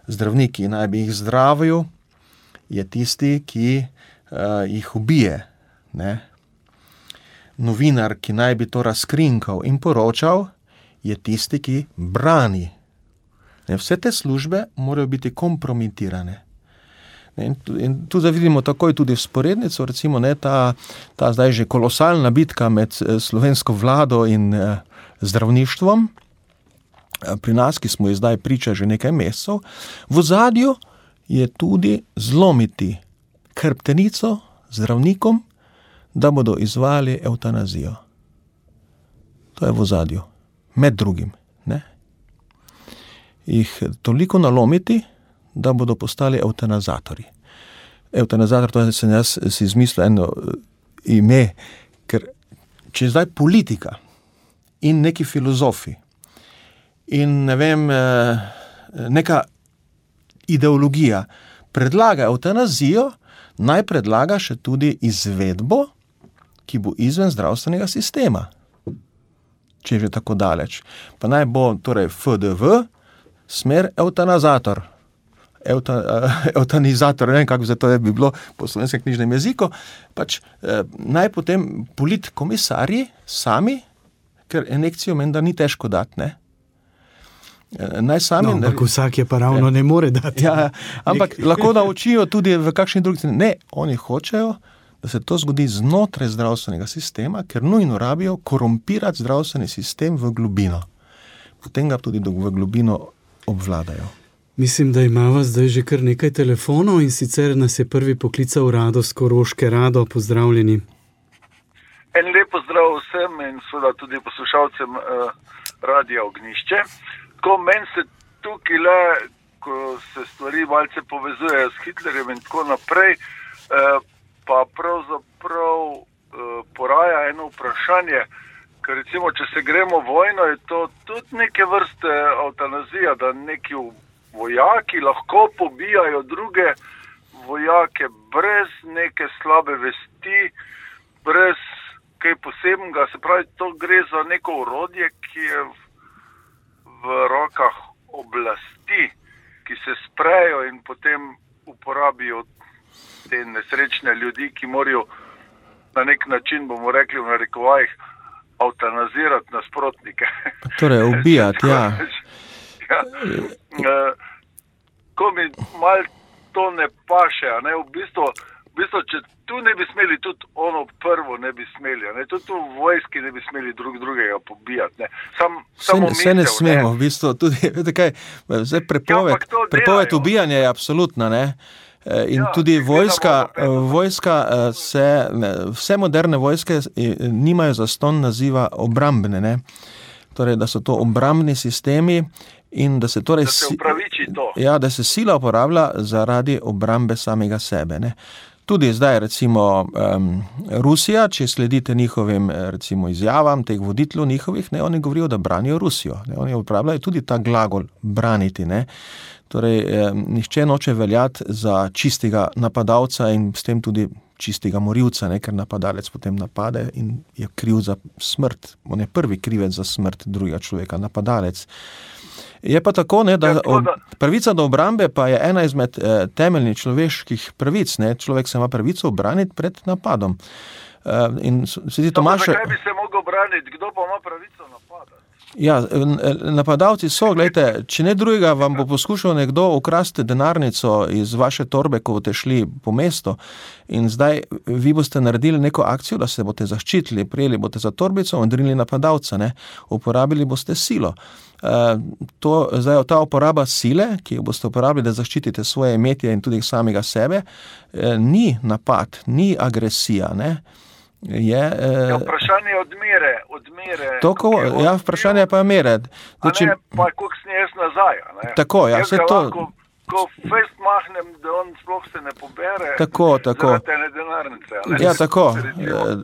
Zdravniki naj bi jih zdravil, je tisti, ki jih ubije. Novinar, ki naj bi to razkrinkal in poročal, je tisti, ki brani. Vse te službe morajo biti kompromitirane. In tu vidimo takoj tudi vzporednico, recimo ta zdaj že kolosalna bitka med slovensko vlado in zdravništvom, pri nas, ki smo ji zdaj priča že nekaj mesecev, v ozadju je tudi zlomiti hrbtenico zdravnikom, da bodo izvajali evtanazijo. To je v ozadju, med drugim. Jih toliko nalomiti, da bodo postali evtanazatorji. Evtanazator, to sem jaz si izmislil eno ime, ker če zdaj politika in neki filozofi in neka ideologija predlaga evtanazijo, naj predlaga še tudi izvedbo, ki bo izven zdravstvenega sistema. Če je že tako daleč. Pa naj bo torej FDV, smer evtanizator, ne vem, kako to bi bilo po slovenskem knjižnem jeziku, naj potem politkomisarji sami, ker injekcijo menda ni težko dati, Naj sami
ampak vsak je pa ravno ne more dati.
Ja, ampak lahko naučijo tudi v kakšni drugi. Ne, oni hočejo, da se to zgodi znotraj zdravstvenega sistema, ker nujno rabijo korumpirati zdravstveni sistem v globino. Potem ga tudi v globino obvladajo.
Mislim, da imamo zdaj že kar nekaj telefonov in sicer nas je prvi poklical Rado z Koroške. Rado, pozdravljeni.
En lep pozdrav vsem in seveda tudi poslušalcem Radia Ognjišče. Ko meni se tukaj le, ko se stvari malce povezujejo s Hitlerjem in tako naprej, pa pravzaprav poraja eno vprašanje, ker recimo, če se gremo vojno, je to tudi neke vrste eutanazija, da neki vojaki lahko pobijajo druge vojake brez neke slabe vesti, brez kaj posebnega, se pravi, to gre za neko orodje, ki je v rokah oblasti, ki se sprejo in potem uporabijo te nesrečne ljudi, ki morajo na nek način, bomo rekli v narekovajih, eutanazirati nasprotnike.
Torej, ubijati, ja.
Ko mi malo to ne paše, a ne, v bistvu, če tu ne bi smeli, tudi ono prvo ne bi smeli, ne? Tudi v vojski ne bi smeli drugega pobijati. Ne?
Vse ne smemo, v bistvu tudi, veste kaj, zdaj prepoved ubijanja je absolutna, ne? In tudi vojska vse moderne vojske nimajo zastonj naziva obrambne, ne? Torej, da so to obrambni sistemi in da se torej
upraviči to.
Ja, da se sila uporablja zaradi obrambe samega sebe, ne? Tudi zdaj, recimo, Rusija, če sledite njihovim, recimo, izjavam, teh voditeljev njihovih, ne, oni govorijo, da branijo Rusijo. Ne, oni uporabljajo tudi ta glagol braniti, ne. Torej, nihče noče veljati za čistega napadalca in s tem tudi čistega morilca, ne, ker napadalec potem napade in je kriv za smrt. On je prvi krivec za smrt drugega človeka, napadalec. Je pa tako, ne, da pravica do obrambe pa je ena izmed temeljnih človeških pravic. Ne. Človek se ima pravico obraniti pred napadom.
Zakaj bi se mogel braniti? Kdo pa ima pravico napadati?
Ja, napadalci so, gledajte, če ne drugega, vam bo poskušal nekdo ukrasti denarnico iz vaše torbe, ko boste šli po mestu in zdaj vi boste naredili neko akcijo, da se boste zaščitili, prijeli boste za torbico in odrinili napadalca, ne, uporabili boste silo. Zdaj, ta uporaba sile, ki jo boste uporabili, da zaščitite svoje imetje in tudi samega sebe, ni napad, ni agresija, ne.
Vprašanje odmere.
Vprašanje pa je mere.
Pa koliko sem jaz nazaj. Ne?
Tako, ja, vse to.
Ko fest mahnem, da on sploh se ne pobere.
Tako.
Zaradi ene denarnice.
Ja, tako.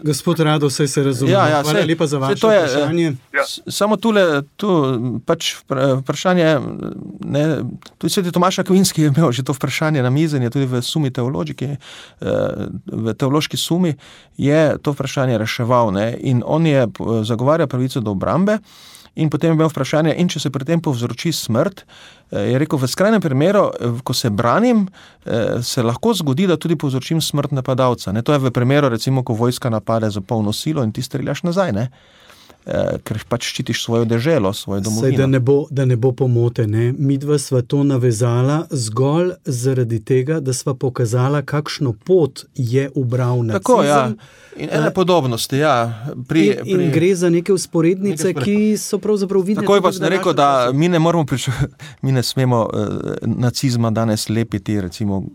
Gospod Rado, vse se razume. Hvala lepa za vaše vprašanje.
Samo tu pač vprašanje, ne, tudi Sveti Tomaž Akvinski je imel že to vprašanje na mizenje, tudi v sumi teologiki, v teološki sumi je to vprašanje reševal, ne, in on je zagovarjal pravico do obrambe. In potem je imel vprašanje, in če se pri tem povzroči smrt, je rekel, v skrajnem primeru, ko se branim, se lahko zgodi, da tudi povzročim smrt napadalca. Ne? To je v primeru, recimo, ko vojska napade za polno silo in ti streljaš nazaj, ne? Ker pač ščitiš svojo deželo, svojo domovino.
Saj, da ne bo pomote, ne? Midva sva to navezala zgolj zaradi tega, da sva pokazala, kakšno pot je ubral nacizem.
Tako, ja. In ene podobnosti, ja.
In gre za neke usporednice, ki so pravzaprav vidne.
Tako je pa sem rekel, da mi ne smemo nacizma danes lepiti, recimo,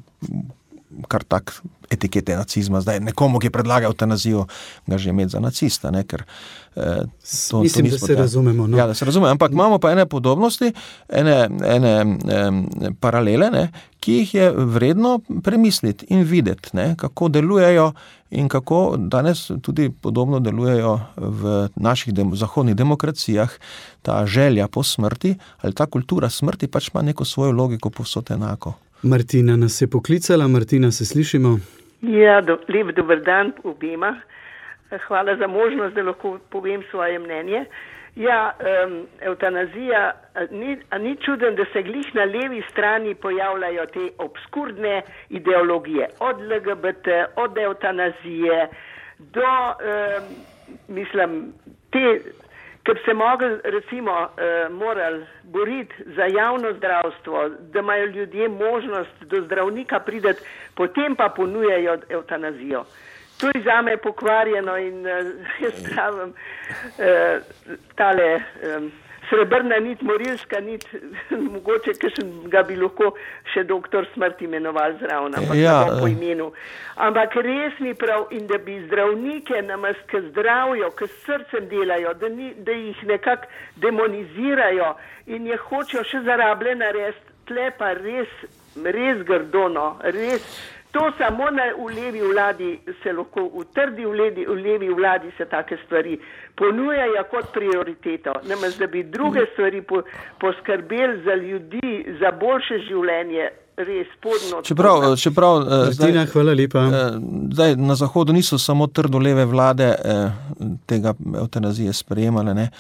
kar tak etikete nacizma. Zdaj nekomu, ki predlaga eutanazijo, ga že imeti za nacista, ne, ker
mislim, da se razumemo. No.
Ja, da se razumemo, ampak imamo pa ene podobnosti, ene paralele, ne, ki jih je vredno premisliti in videti, ne, kako delujejo in kako danes tudi podobno delujejo v naših zahodnih demokracijah ta želja po smrti ali ta kultura smrti pač ima neko svojo logiko povsod enako.
Martina nas je poklicala. Martina, se slišimo?
Ja, lep dober dan obema. Hvala za možnost, da lahko povem svoje mnenje. Ja, eutanazija, ni čuden, da se glih na levi strani pojavljajo te obskurne ideologije. Od LGBT, od eutanazije do, te, ker se morali boriti za javno zdravstvo, da imajo ljudje možnost do zdravnika priti, potem pa ponujajo evtanazijo. To je zame pokvarjeno in jaz pravim, tale srebrna nit, morilska nit, mogoče ga bi lahko še doktor smrt imenoval zraven, ampak po imenu. Ampak res ni prav in da bi zdravnike namest, ki zdravijo, ki s srcem delajo, da jih nekako demonizirajo in je hočejo še zarablje narediti, tle pa res grdono, res. To samo v levi vladi se lahko, v trdi v levi vladi se take stvari ponujajo kot prioriteto. Namest, da bi druge stvari poskrbeli za ljudi, za boljše življenje, res podno.
Čeprav
Martina, hvala lepa.
Zdaj na Zahodu niso samo trdo leve vlade tega evtanazije sprejemale, ne.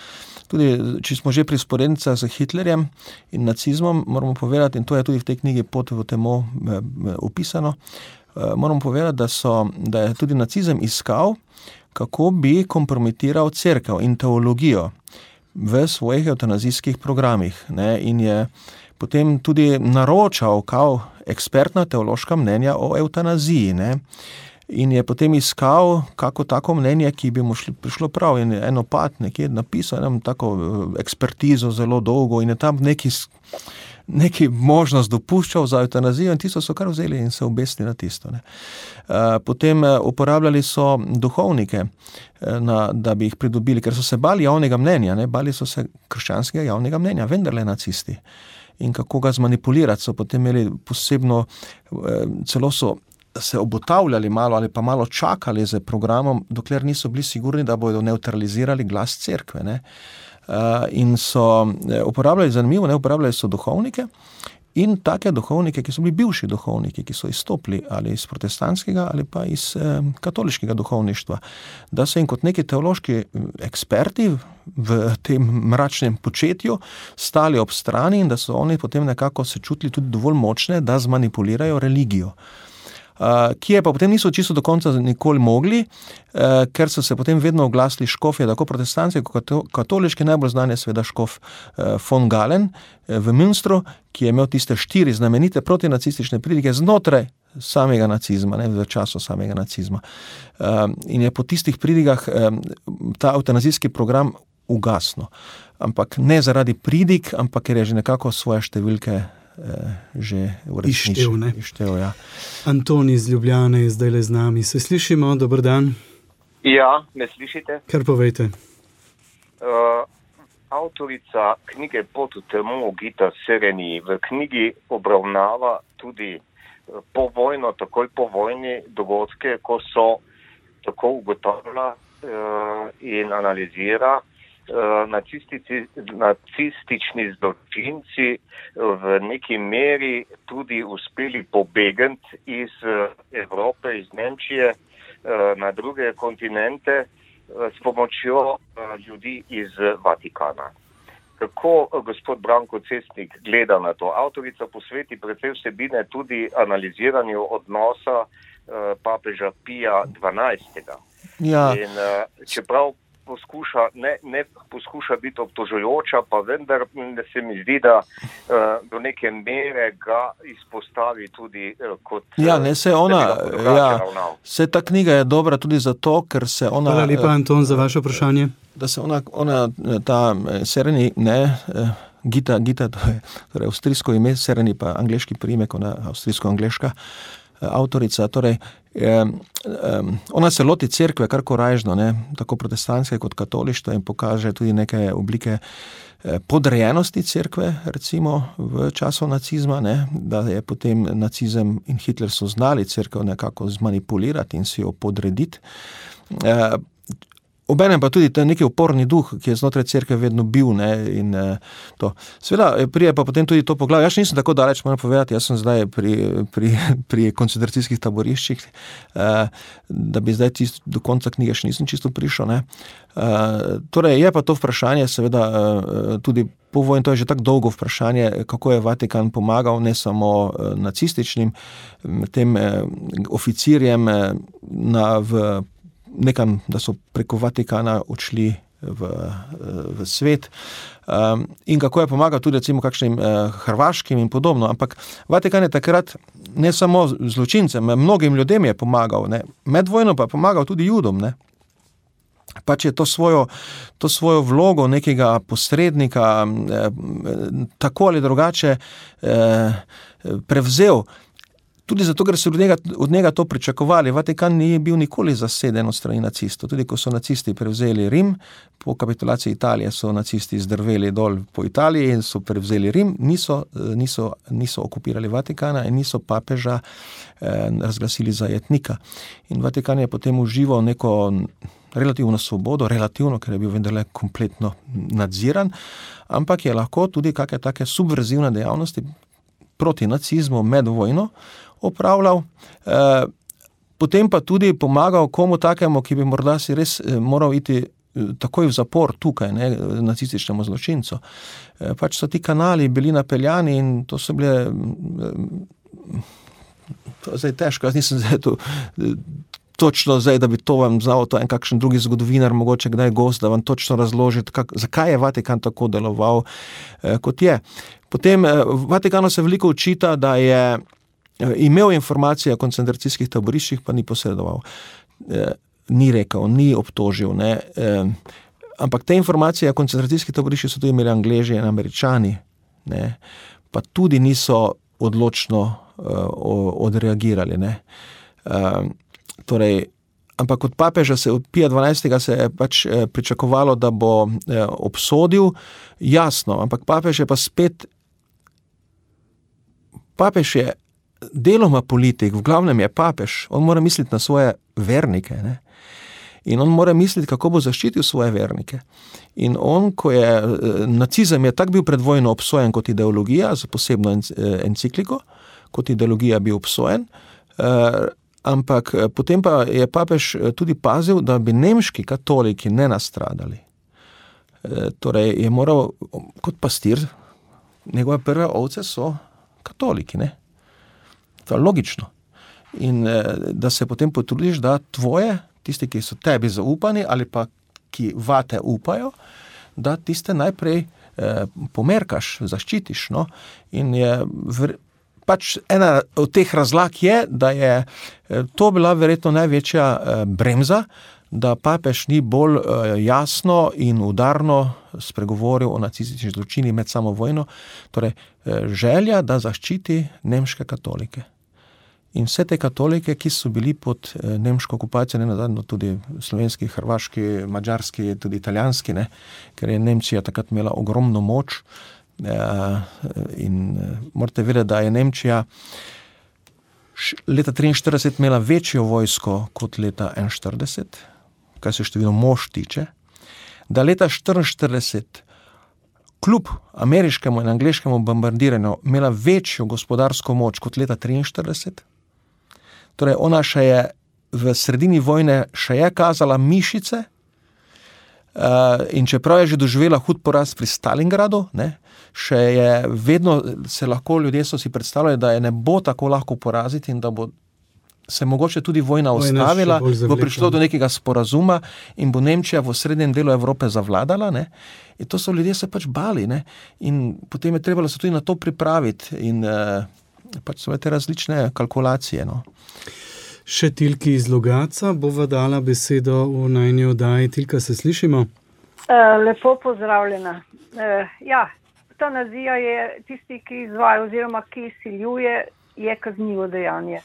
Tudi, če smo že pri sporednicah z Hitlerjem in nacizmom, moramo povedati, in to je tudi v tej knjigi Pot v temo opisano, moramo povedati, da je tudi nacizem iskal, kako bi kompromitiral cerkev in teologijo v svojih evtanazijskih programih, ne, in je potem tudi naročal kao ekspertna teološka mnenja o evtanaziji, ne. In je potem iskal kako tako mnenje, ki bi mu prišlo prav, in je en opat nekje napisal eno tako ekspertizo zelo dolgo in je tam neki možnost dopuščal za evtanazijo in tisto so kar vzeli in se obesili na tisto, ne. Potem uporabljali so duhovnike, da bi jih pridobili, ker so se bali javnega mnenja, ne, bali so se krščanskega javnega mnenja, vendarle nacisti. In kako ga zmanipulirati, so potem imeli posebno, celo so se obotavljali malo ali pa malo čakali z programom, dokler niso bili sigurni, da bodo neutralizirali glas cerkve, ne. In so uporabljali, zanimivo, uporabljali so duhovnike in take duhovnike, ki so bili bivši duhovniki, ki so izstopili ali iz protestantskega ali pa iz katoliškega duhovništva, da so jim kot neki teološki eksperti v tem mračnem početju stali ob strani in da so oni potem nekako se čutili tudi dovolj močne, da zmanipulirajo religijo. Ki je pa potem niso čisto do konca nikoli mogli, ker so se potem vedno oglasili škofje, tako protestantski kot katoliški, najbolj znan je seveda škof von Galen v Münstru, ki je imel tiste 4 znamenite protinacistične pridige znotraj samega nacizma, ne, v času samega nacizma. In je po tistih pridigah ta evtanazijski program ugasnil. Ampak ne zaradi pridig, ampak ker je že nekako svoje številke že ištev, ja.
Anton iz Ljubljane je zdajle z nami. Se slišimo? Dober dan.
Ja, me slišite?
Kar povejte.
Avtorica knjige Pot v temo Gita Sereni v knjigi obravnava tudi povojno, takoj po vojni dogodke, ko so tako ugotavlja in analizira nacistični zločinci v neki meri tudi uspeli pobegati iz Evrope, iz Nemčije na druge kontinente s pomočjo ljudi iz Vatikana. Kako gospod Branko Cestnik gleda na to? Avtorica posveti precej vsebine tudi analiziranju odnosa papeža Pija XII.
Ja.
In čeprav ne poskuša biti obtožujoča, pa vendar se mi zdi, da do neke mere ga izpostavi tudi kot...
Ja, ne, se ta knjiga je dobra tudi zato, ker se ona...
Hvala lepa, Anton, za vaše vprašanje.
Da se ona ta Sereni, Gita, to je torej avstrijsko ime, Sereni pa angleški priimek, ona avstrijsko-angleška avtorica, torej ona se loti cerkve kar korajžno, ne, tako protestantske kot katolištva in pokaže tudi neke oblike podrejenosti cerkve, recimo v času nacizma, ne, da je potem nacizem in Hitler so znali cerkev nekako zmanipulirati in si jo podrediti. Obenem pa tudi neki uporni duh, ki je znotraj cerkve vedno bil, ne, in to. Seveda prije pa potem tudi to poglavje. Jaz nisem tako daleč, moram povedati, jaz sem zdaj pri koncentracijskih taboriščih, da bi zdaj do konca knjige še nisem čisto prišel, ne. Torej je pa to vprašanje, seveda tudi po vojni, to je že tako dolgo vprašanje, kako je Vatikan pomagal ne samo nacističnim tem oficirjem v nekam, da so preko Vatikana odšli v svet. In kako je pomagal tudi recimo kakšnim hrvaškim in podobno. Ampak Vatikan je takrat ne samo zločincem, mnogim ljudem je pomagal, ne. Med vojno pa je pomagal tudi Judom, ne. Pač je to svojo vlogo nekega posrednika tako ali drugače prevzel. Tudi zato, ker so od njega to pričakovali. Vatikan ni bil nikoli zaseden od strani nacistov. Tudi ko so nacisti prevzeli Rim, po kapitulaciji Italije so nacisti zdrveli dol po Italiji in so prevzeli Rim, niso okupirali Vatikana in niso papeža razglasili za jetnika. In Vatikan je potem užival neko relativno svobodo, relativno, ker je bil vendarle kompletno nadziran, ampak je lahko tudi kakšne take subverzivne dejavnosti proti nacizmu med vojno opravljal, potem pa tudi pomagal komu takemu, ki bi morda si res moral iti takoj v zapor tukaj, ne, nacističnemu zločincu. Pač so ti kanali bili napeljani in to so bile to zdaj težko, jaz nisem zdaj to točno zdaj, da bi to vam znal, to en kakšen drugi zgodovinar, mogoče kdaj gost, da vam točno razloži, zakaj je Vatikan tako deloval, kot je. Potem Vatikanu se veliko očita, da je imel informacije o koncentracijskih taboriščih, pa ni posredoval. Ni rekel, ni obtožil, ne. Ampak te informacije o koncentracijskih taboriščih so tudi imeli Angleži in Američani, ne. Pa tudi niso odločno odreagirali, ne. Torej, ampak od papeža Pija XII. Se je pač pričakovalo, da bo obsodil, jasno, ampak papež je pa spet, papež je deloma politik, v glavnem je papež, on mora misliti na svoje vernike, ne? In on mora misliti, kako bo zaščitil svoje vernike. In on, ko je, nacizem je tak bil pred vojno obsojen kot ideologija, z posebno encikliko, kot ideologija bil obsojen, ampak potem pa je papež tudi pazil, da bi nemški katoliki ne nastradali. Torej je moral kot pastir, njegove prve ovce so katoliki, ne? To je logično. In da se potem potrudiš, da tvoje, tisti, ki so tebi zaupani ali pa ki vate upajo, da tiste najprej pomerkaš, zaščitiš, no? In je pač ena od teh razlag je, da je to bila verjetno največja bremza, da papež ni bolj jasno in udarno spregovoril o nacističnih zločinih med samo vojno, torej želja, da zaščiti nemške katolike. In vse te katolike, ki so bili pod nemško okupacijo, nenazadnje tudi slovenski, hrvaški, madžarski, tudi italijanski, ne, ker je Nemčija takrat imela ogromno moč, in morate vedeti, da je Nemčija leta 1943 imela večjo vojsko kot leta 1941, kaj se število mož tiče, da leta 1944 kljub ameriškemu in angleškemu bombardiranju imela večjo gospodarsko moč kot leta 1943. Torej ona še je v sredini vojne še je kazala mišice, in čeprav je že doživela hud poraz pri Stalingradu, ne, še je vedno se lahko ljudje so si predstavljali, da je ne bo tako lahko poraziti in da bo se mogoče tudi vojna ustavila, bo prišlo do nekega sporazuma in bo Nemčija v srednjem delu Evrope zavladala, ne. In to so ljudje se pač bali, ne. In potem je trebalo se tudi na to pripraviti in pač so te različne kalkulacije, no.
Še Tilki iz Logatca bova dala besedo v najni oddaji. Tilka, se slišimo?
Lepo pozdravljena. Ja, eutanazija je tisti, ki izvaja oziroma ki izsiljuje, je kaznivo dejanje.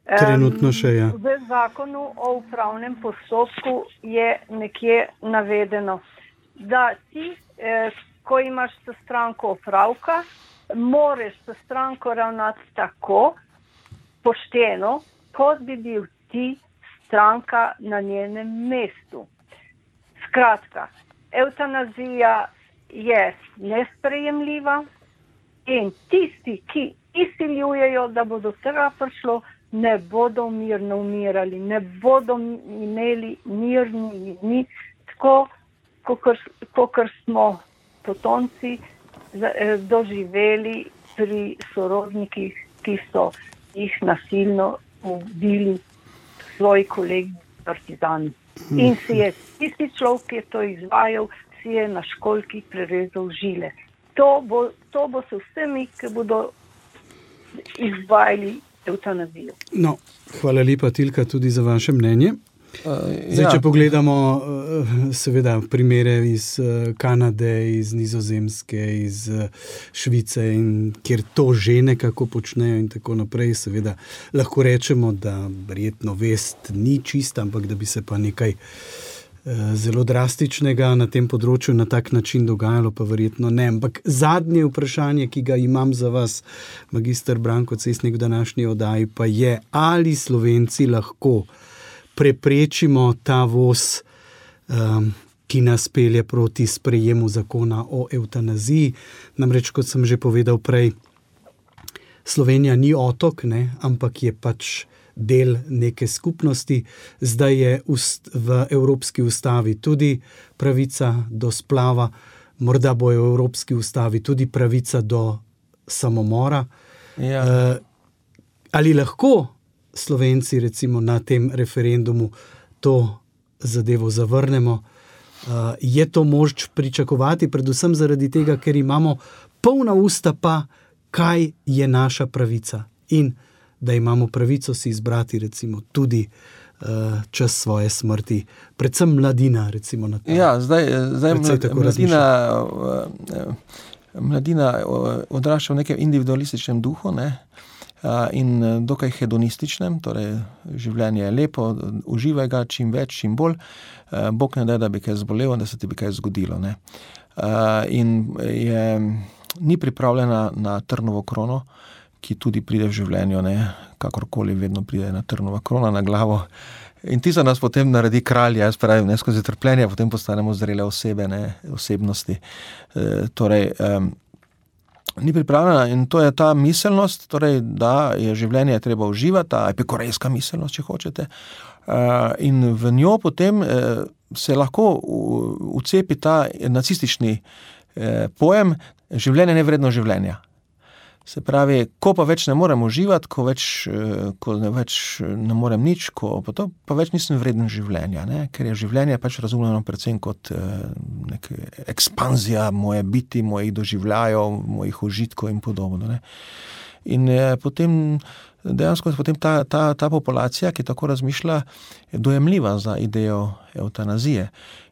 Trenutno še je.
V zakonu o upravnem postopku je nekje navedeno, da ti, ko imaš s stranko opravka, moraš s stranko ravnati tako pošteno, kot bi bil ti stranka na njenem mestu. Skratka, eutanazija je nesprejemljiva in tisti, ki izsiljujejo, da bo do tega prišlo, ne bodo mirno umirali, ne bodo imeli mirni dni, tako, kakor smo potomci doživeli pri sorodnikih, ki so jih nasilno ubili svoji kolegi partizani. In si je tisti človek, ki je to izvajal, si je na školjki prerezal žile. To bo se vsemi, ki bodo izvajali evtanazijo.
No, hvala lepa, Tilka, tudi za vaše mnenje. Če pogledamo seveda primere iz Kanade, iz Nizozemske, iz Švice, kjer to že nekako počnejo in tako naprej, seveda lahko rečemo, da verjetno vest ni čista, ampak da bi se pa nekaj zelo drastičnega na tem področju na tak način dogajalo, pa verjetno ne. Ampak zadnje vprašanje, ki ga imam za vas, magister Branko Cesnik, v današnji oddaji, pa je, ali Slovenci lahko preprečimo ta voz, ki nas pelje proti sprejemu zakona o evtanaziji. Namreč, kot sem že povedal prej, Slovenija ni otok, ne, ampak je pač del neke skupnosti. Zdaj je v Evropski ustavi tudi pravica do splava, morda bo v Evropski ustavi tudi pravica do samomora. Ja. Ali lahko Slovenci recimo na tem referendumu to zadevo zavrnemo? Je to moč pričakovati, predvsem zaradi tega, ker imamo polna usta pa, kaj je naša pravica in da imamo pravico si izbrati recimo tudi čas svoje smrti, predvsem mladina recimo na to.
Ja, zdaj mladina odrašča v nekem individualističnem duhu, ne? In dokaj hedonističnem, torej življenje je lepo, uživaj ga čim več, čim bolj, Bog ne da bi kaj zbolelo, da se ti bi kaj zgodilo, ne? In ni pripravljena na trnovo krono, ki tudi pride v življenju, ne? Kakorkoli vedno pride na trnova krona na glavo. In ti za nas potem naredi kralja, jaz pravim, ne, skozi trpljenje, potem postanemo zrele osebe, ne, osebnosti. Ni pripravljena in to je ta miselnost, torej, da je življenje treba uživati, ta epikurejska miselnost, če hočete. In v njo potem se lahko vcepi ta nacistični pojem življenje nevredno življenja. Se pravi, ko pa več ne morem uživati, ko več ne morem nič, pa več nisem vreden življenja, ne? Ker je življenje pač razumljeno predvsem kot neka ekspanzija moje biti, mojih doživljajev, mojih užitkov in podobno, ne? In potem dejansko ta populacija, ki tako razmišlja, je dojemljiva za idejo evtanazije.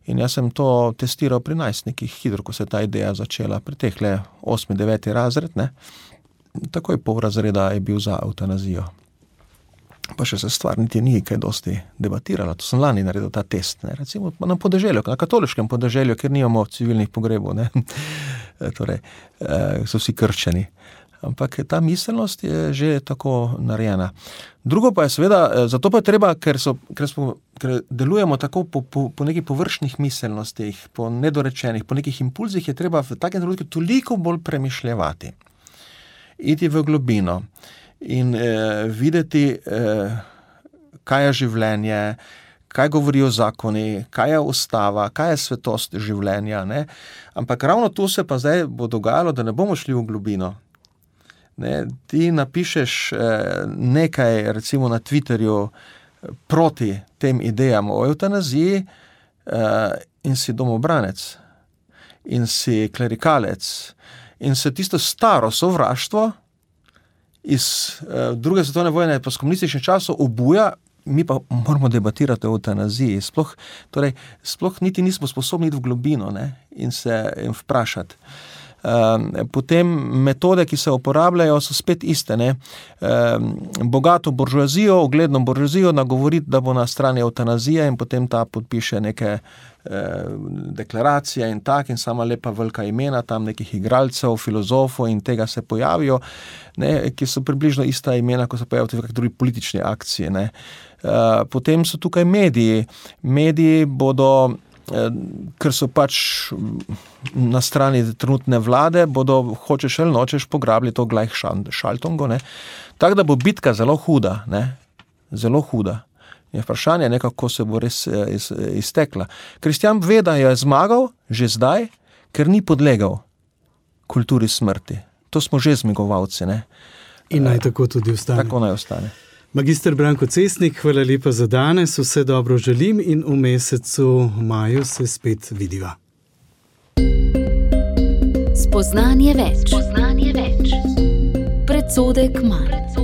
In jaz sem to testiral pri najstnikih, hitro, ko se je ta ideja začela, pri tehle 8., 9. razred, ne? Takoj pol razreda je bil za evtanazijo. Pa še se stvar niti ni kaj dosti debatirala. To sem lani naredil ta test, ne? Recimo na podeželju, na katoliškem podeželju, ker nimamo civilnih pogrebov, ne? Torej, so vsi krščani. Ampak ta miselnost je že tako narejena. Drugo pa je seveda, zato pa je treba, ker delujemo tako po nekih površnih miselnostih, po nedorečenih, po nekih impulzih, je treba v takem trenutku toliko bolj premišljevati. Iti v globino in videti, kaj je življenje, kaj govorijo zakoni, kaj je ustava, kaj je svetost življenja, ne? Ampak ravno tu se pa zdaj bo dogajalo, da ne bomo šli v globino. Ne, ti napišeš nekaj, recimo na Twitterju, proti tem idejam o evtanaziji in si domobranec in si klerikalec in se tisto staro sovraštvo iz druge svetovne vojne pa s komunističnih časov obuja, mi pa moramo debatirati o evtanaziji. Sploh niti nismo sposobni iti v globino, ne, in vprašati. Potem metode, ki se uporabljajo, so spet iste, ne. Bogato buržoazijo, ugledno buržoazijo nagovoriti, da bo na strani evtanazije in potem ta podpiše neke deklaracije in tak, in sama lepa velika imena tam nekih igralcev, filozofov in tega se pojavijo, ne, ki so približno ista imena, ko se pojavijo v drugi politični akciji, ne. Potem so tukaj mediji. Mediji bodo, ker so pač na strani trenutne vlade, bodo, hočeš ali nočeš, pograbili to Gleichschaltung, ne. Tako da bo bitka zelo huda, ne. Zelo huda. Je vprašanje, kako se bo res iztekla. Kristjan ve, da je zmagal že zdaj, ker ni podlegal kulturi smrti. To smo že zmagovalci, ne.
In naj tako tudi ostane.
Tako naj ostane.
Magister Branko Cesnik, hvala lepa za danes, vse dobro želim in v mesecu maju se spet vidiva.
Spoznanje več. Predsodek manj.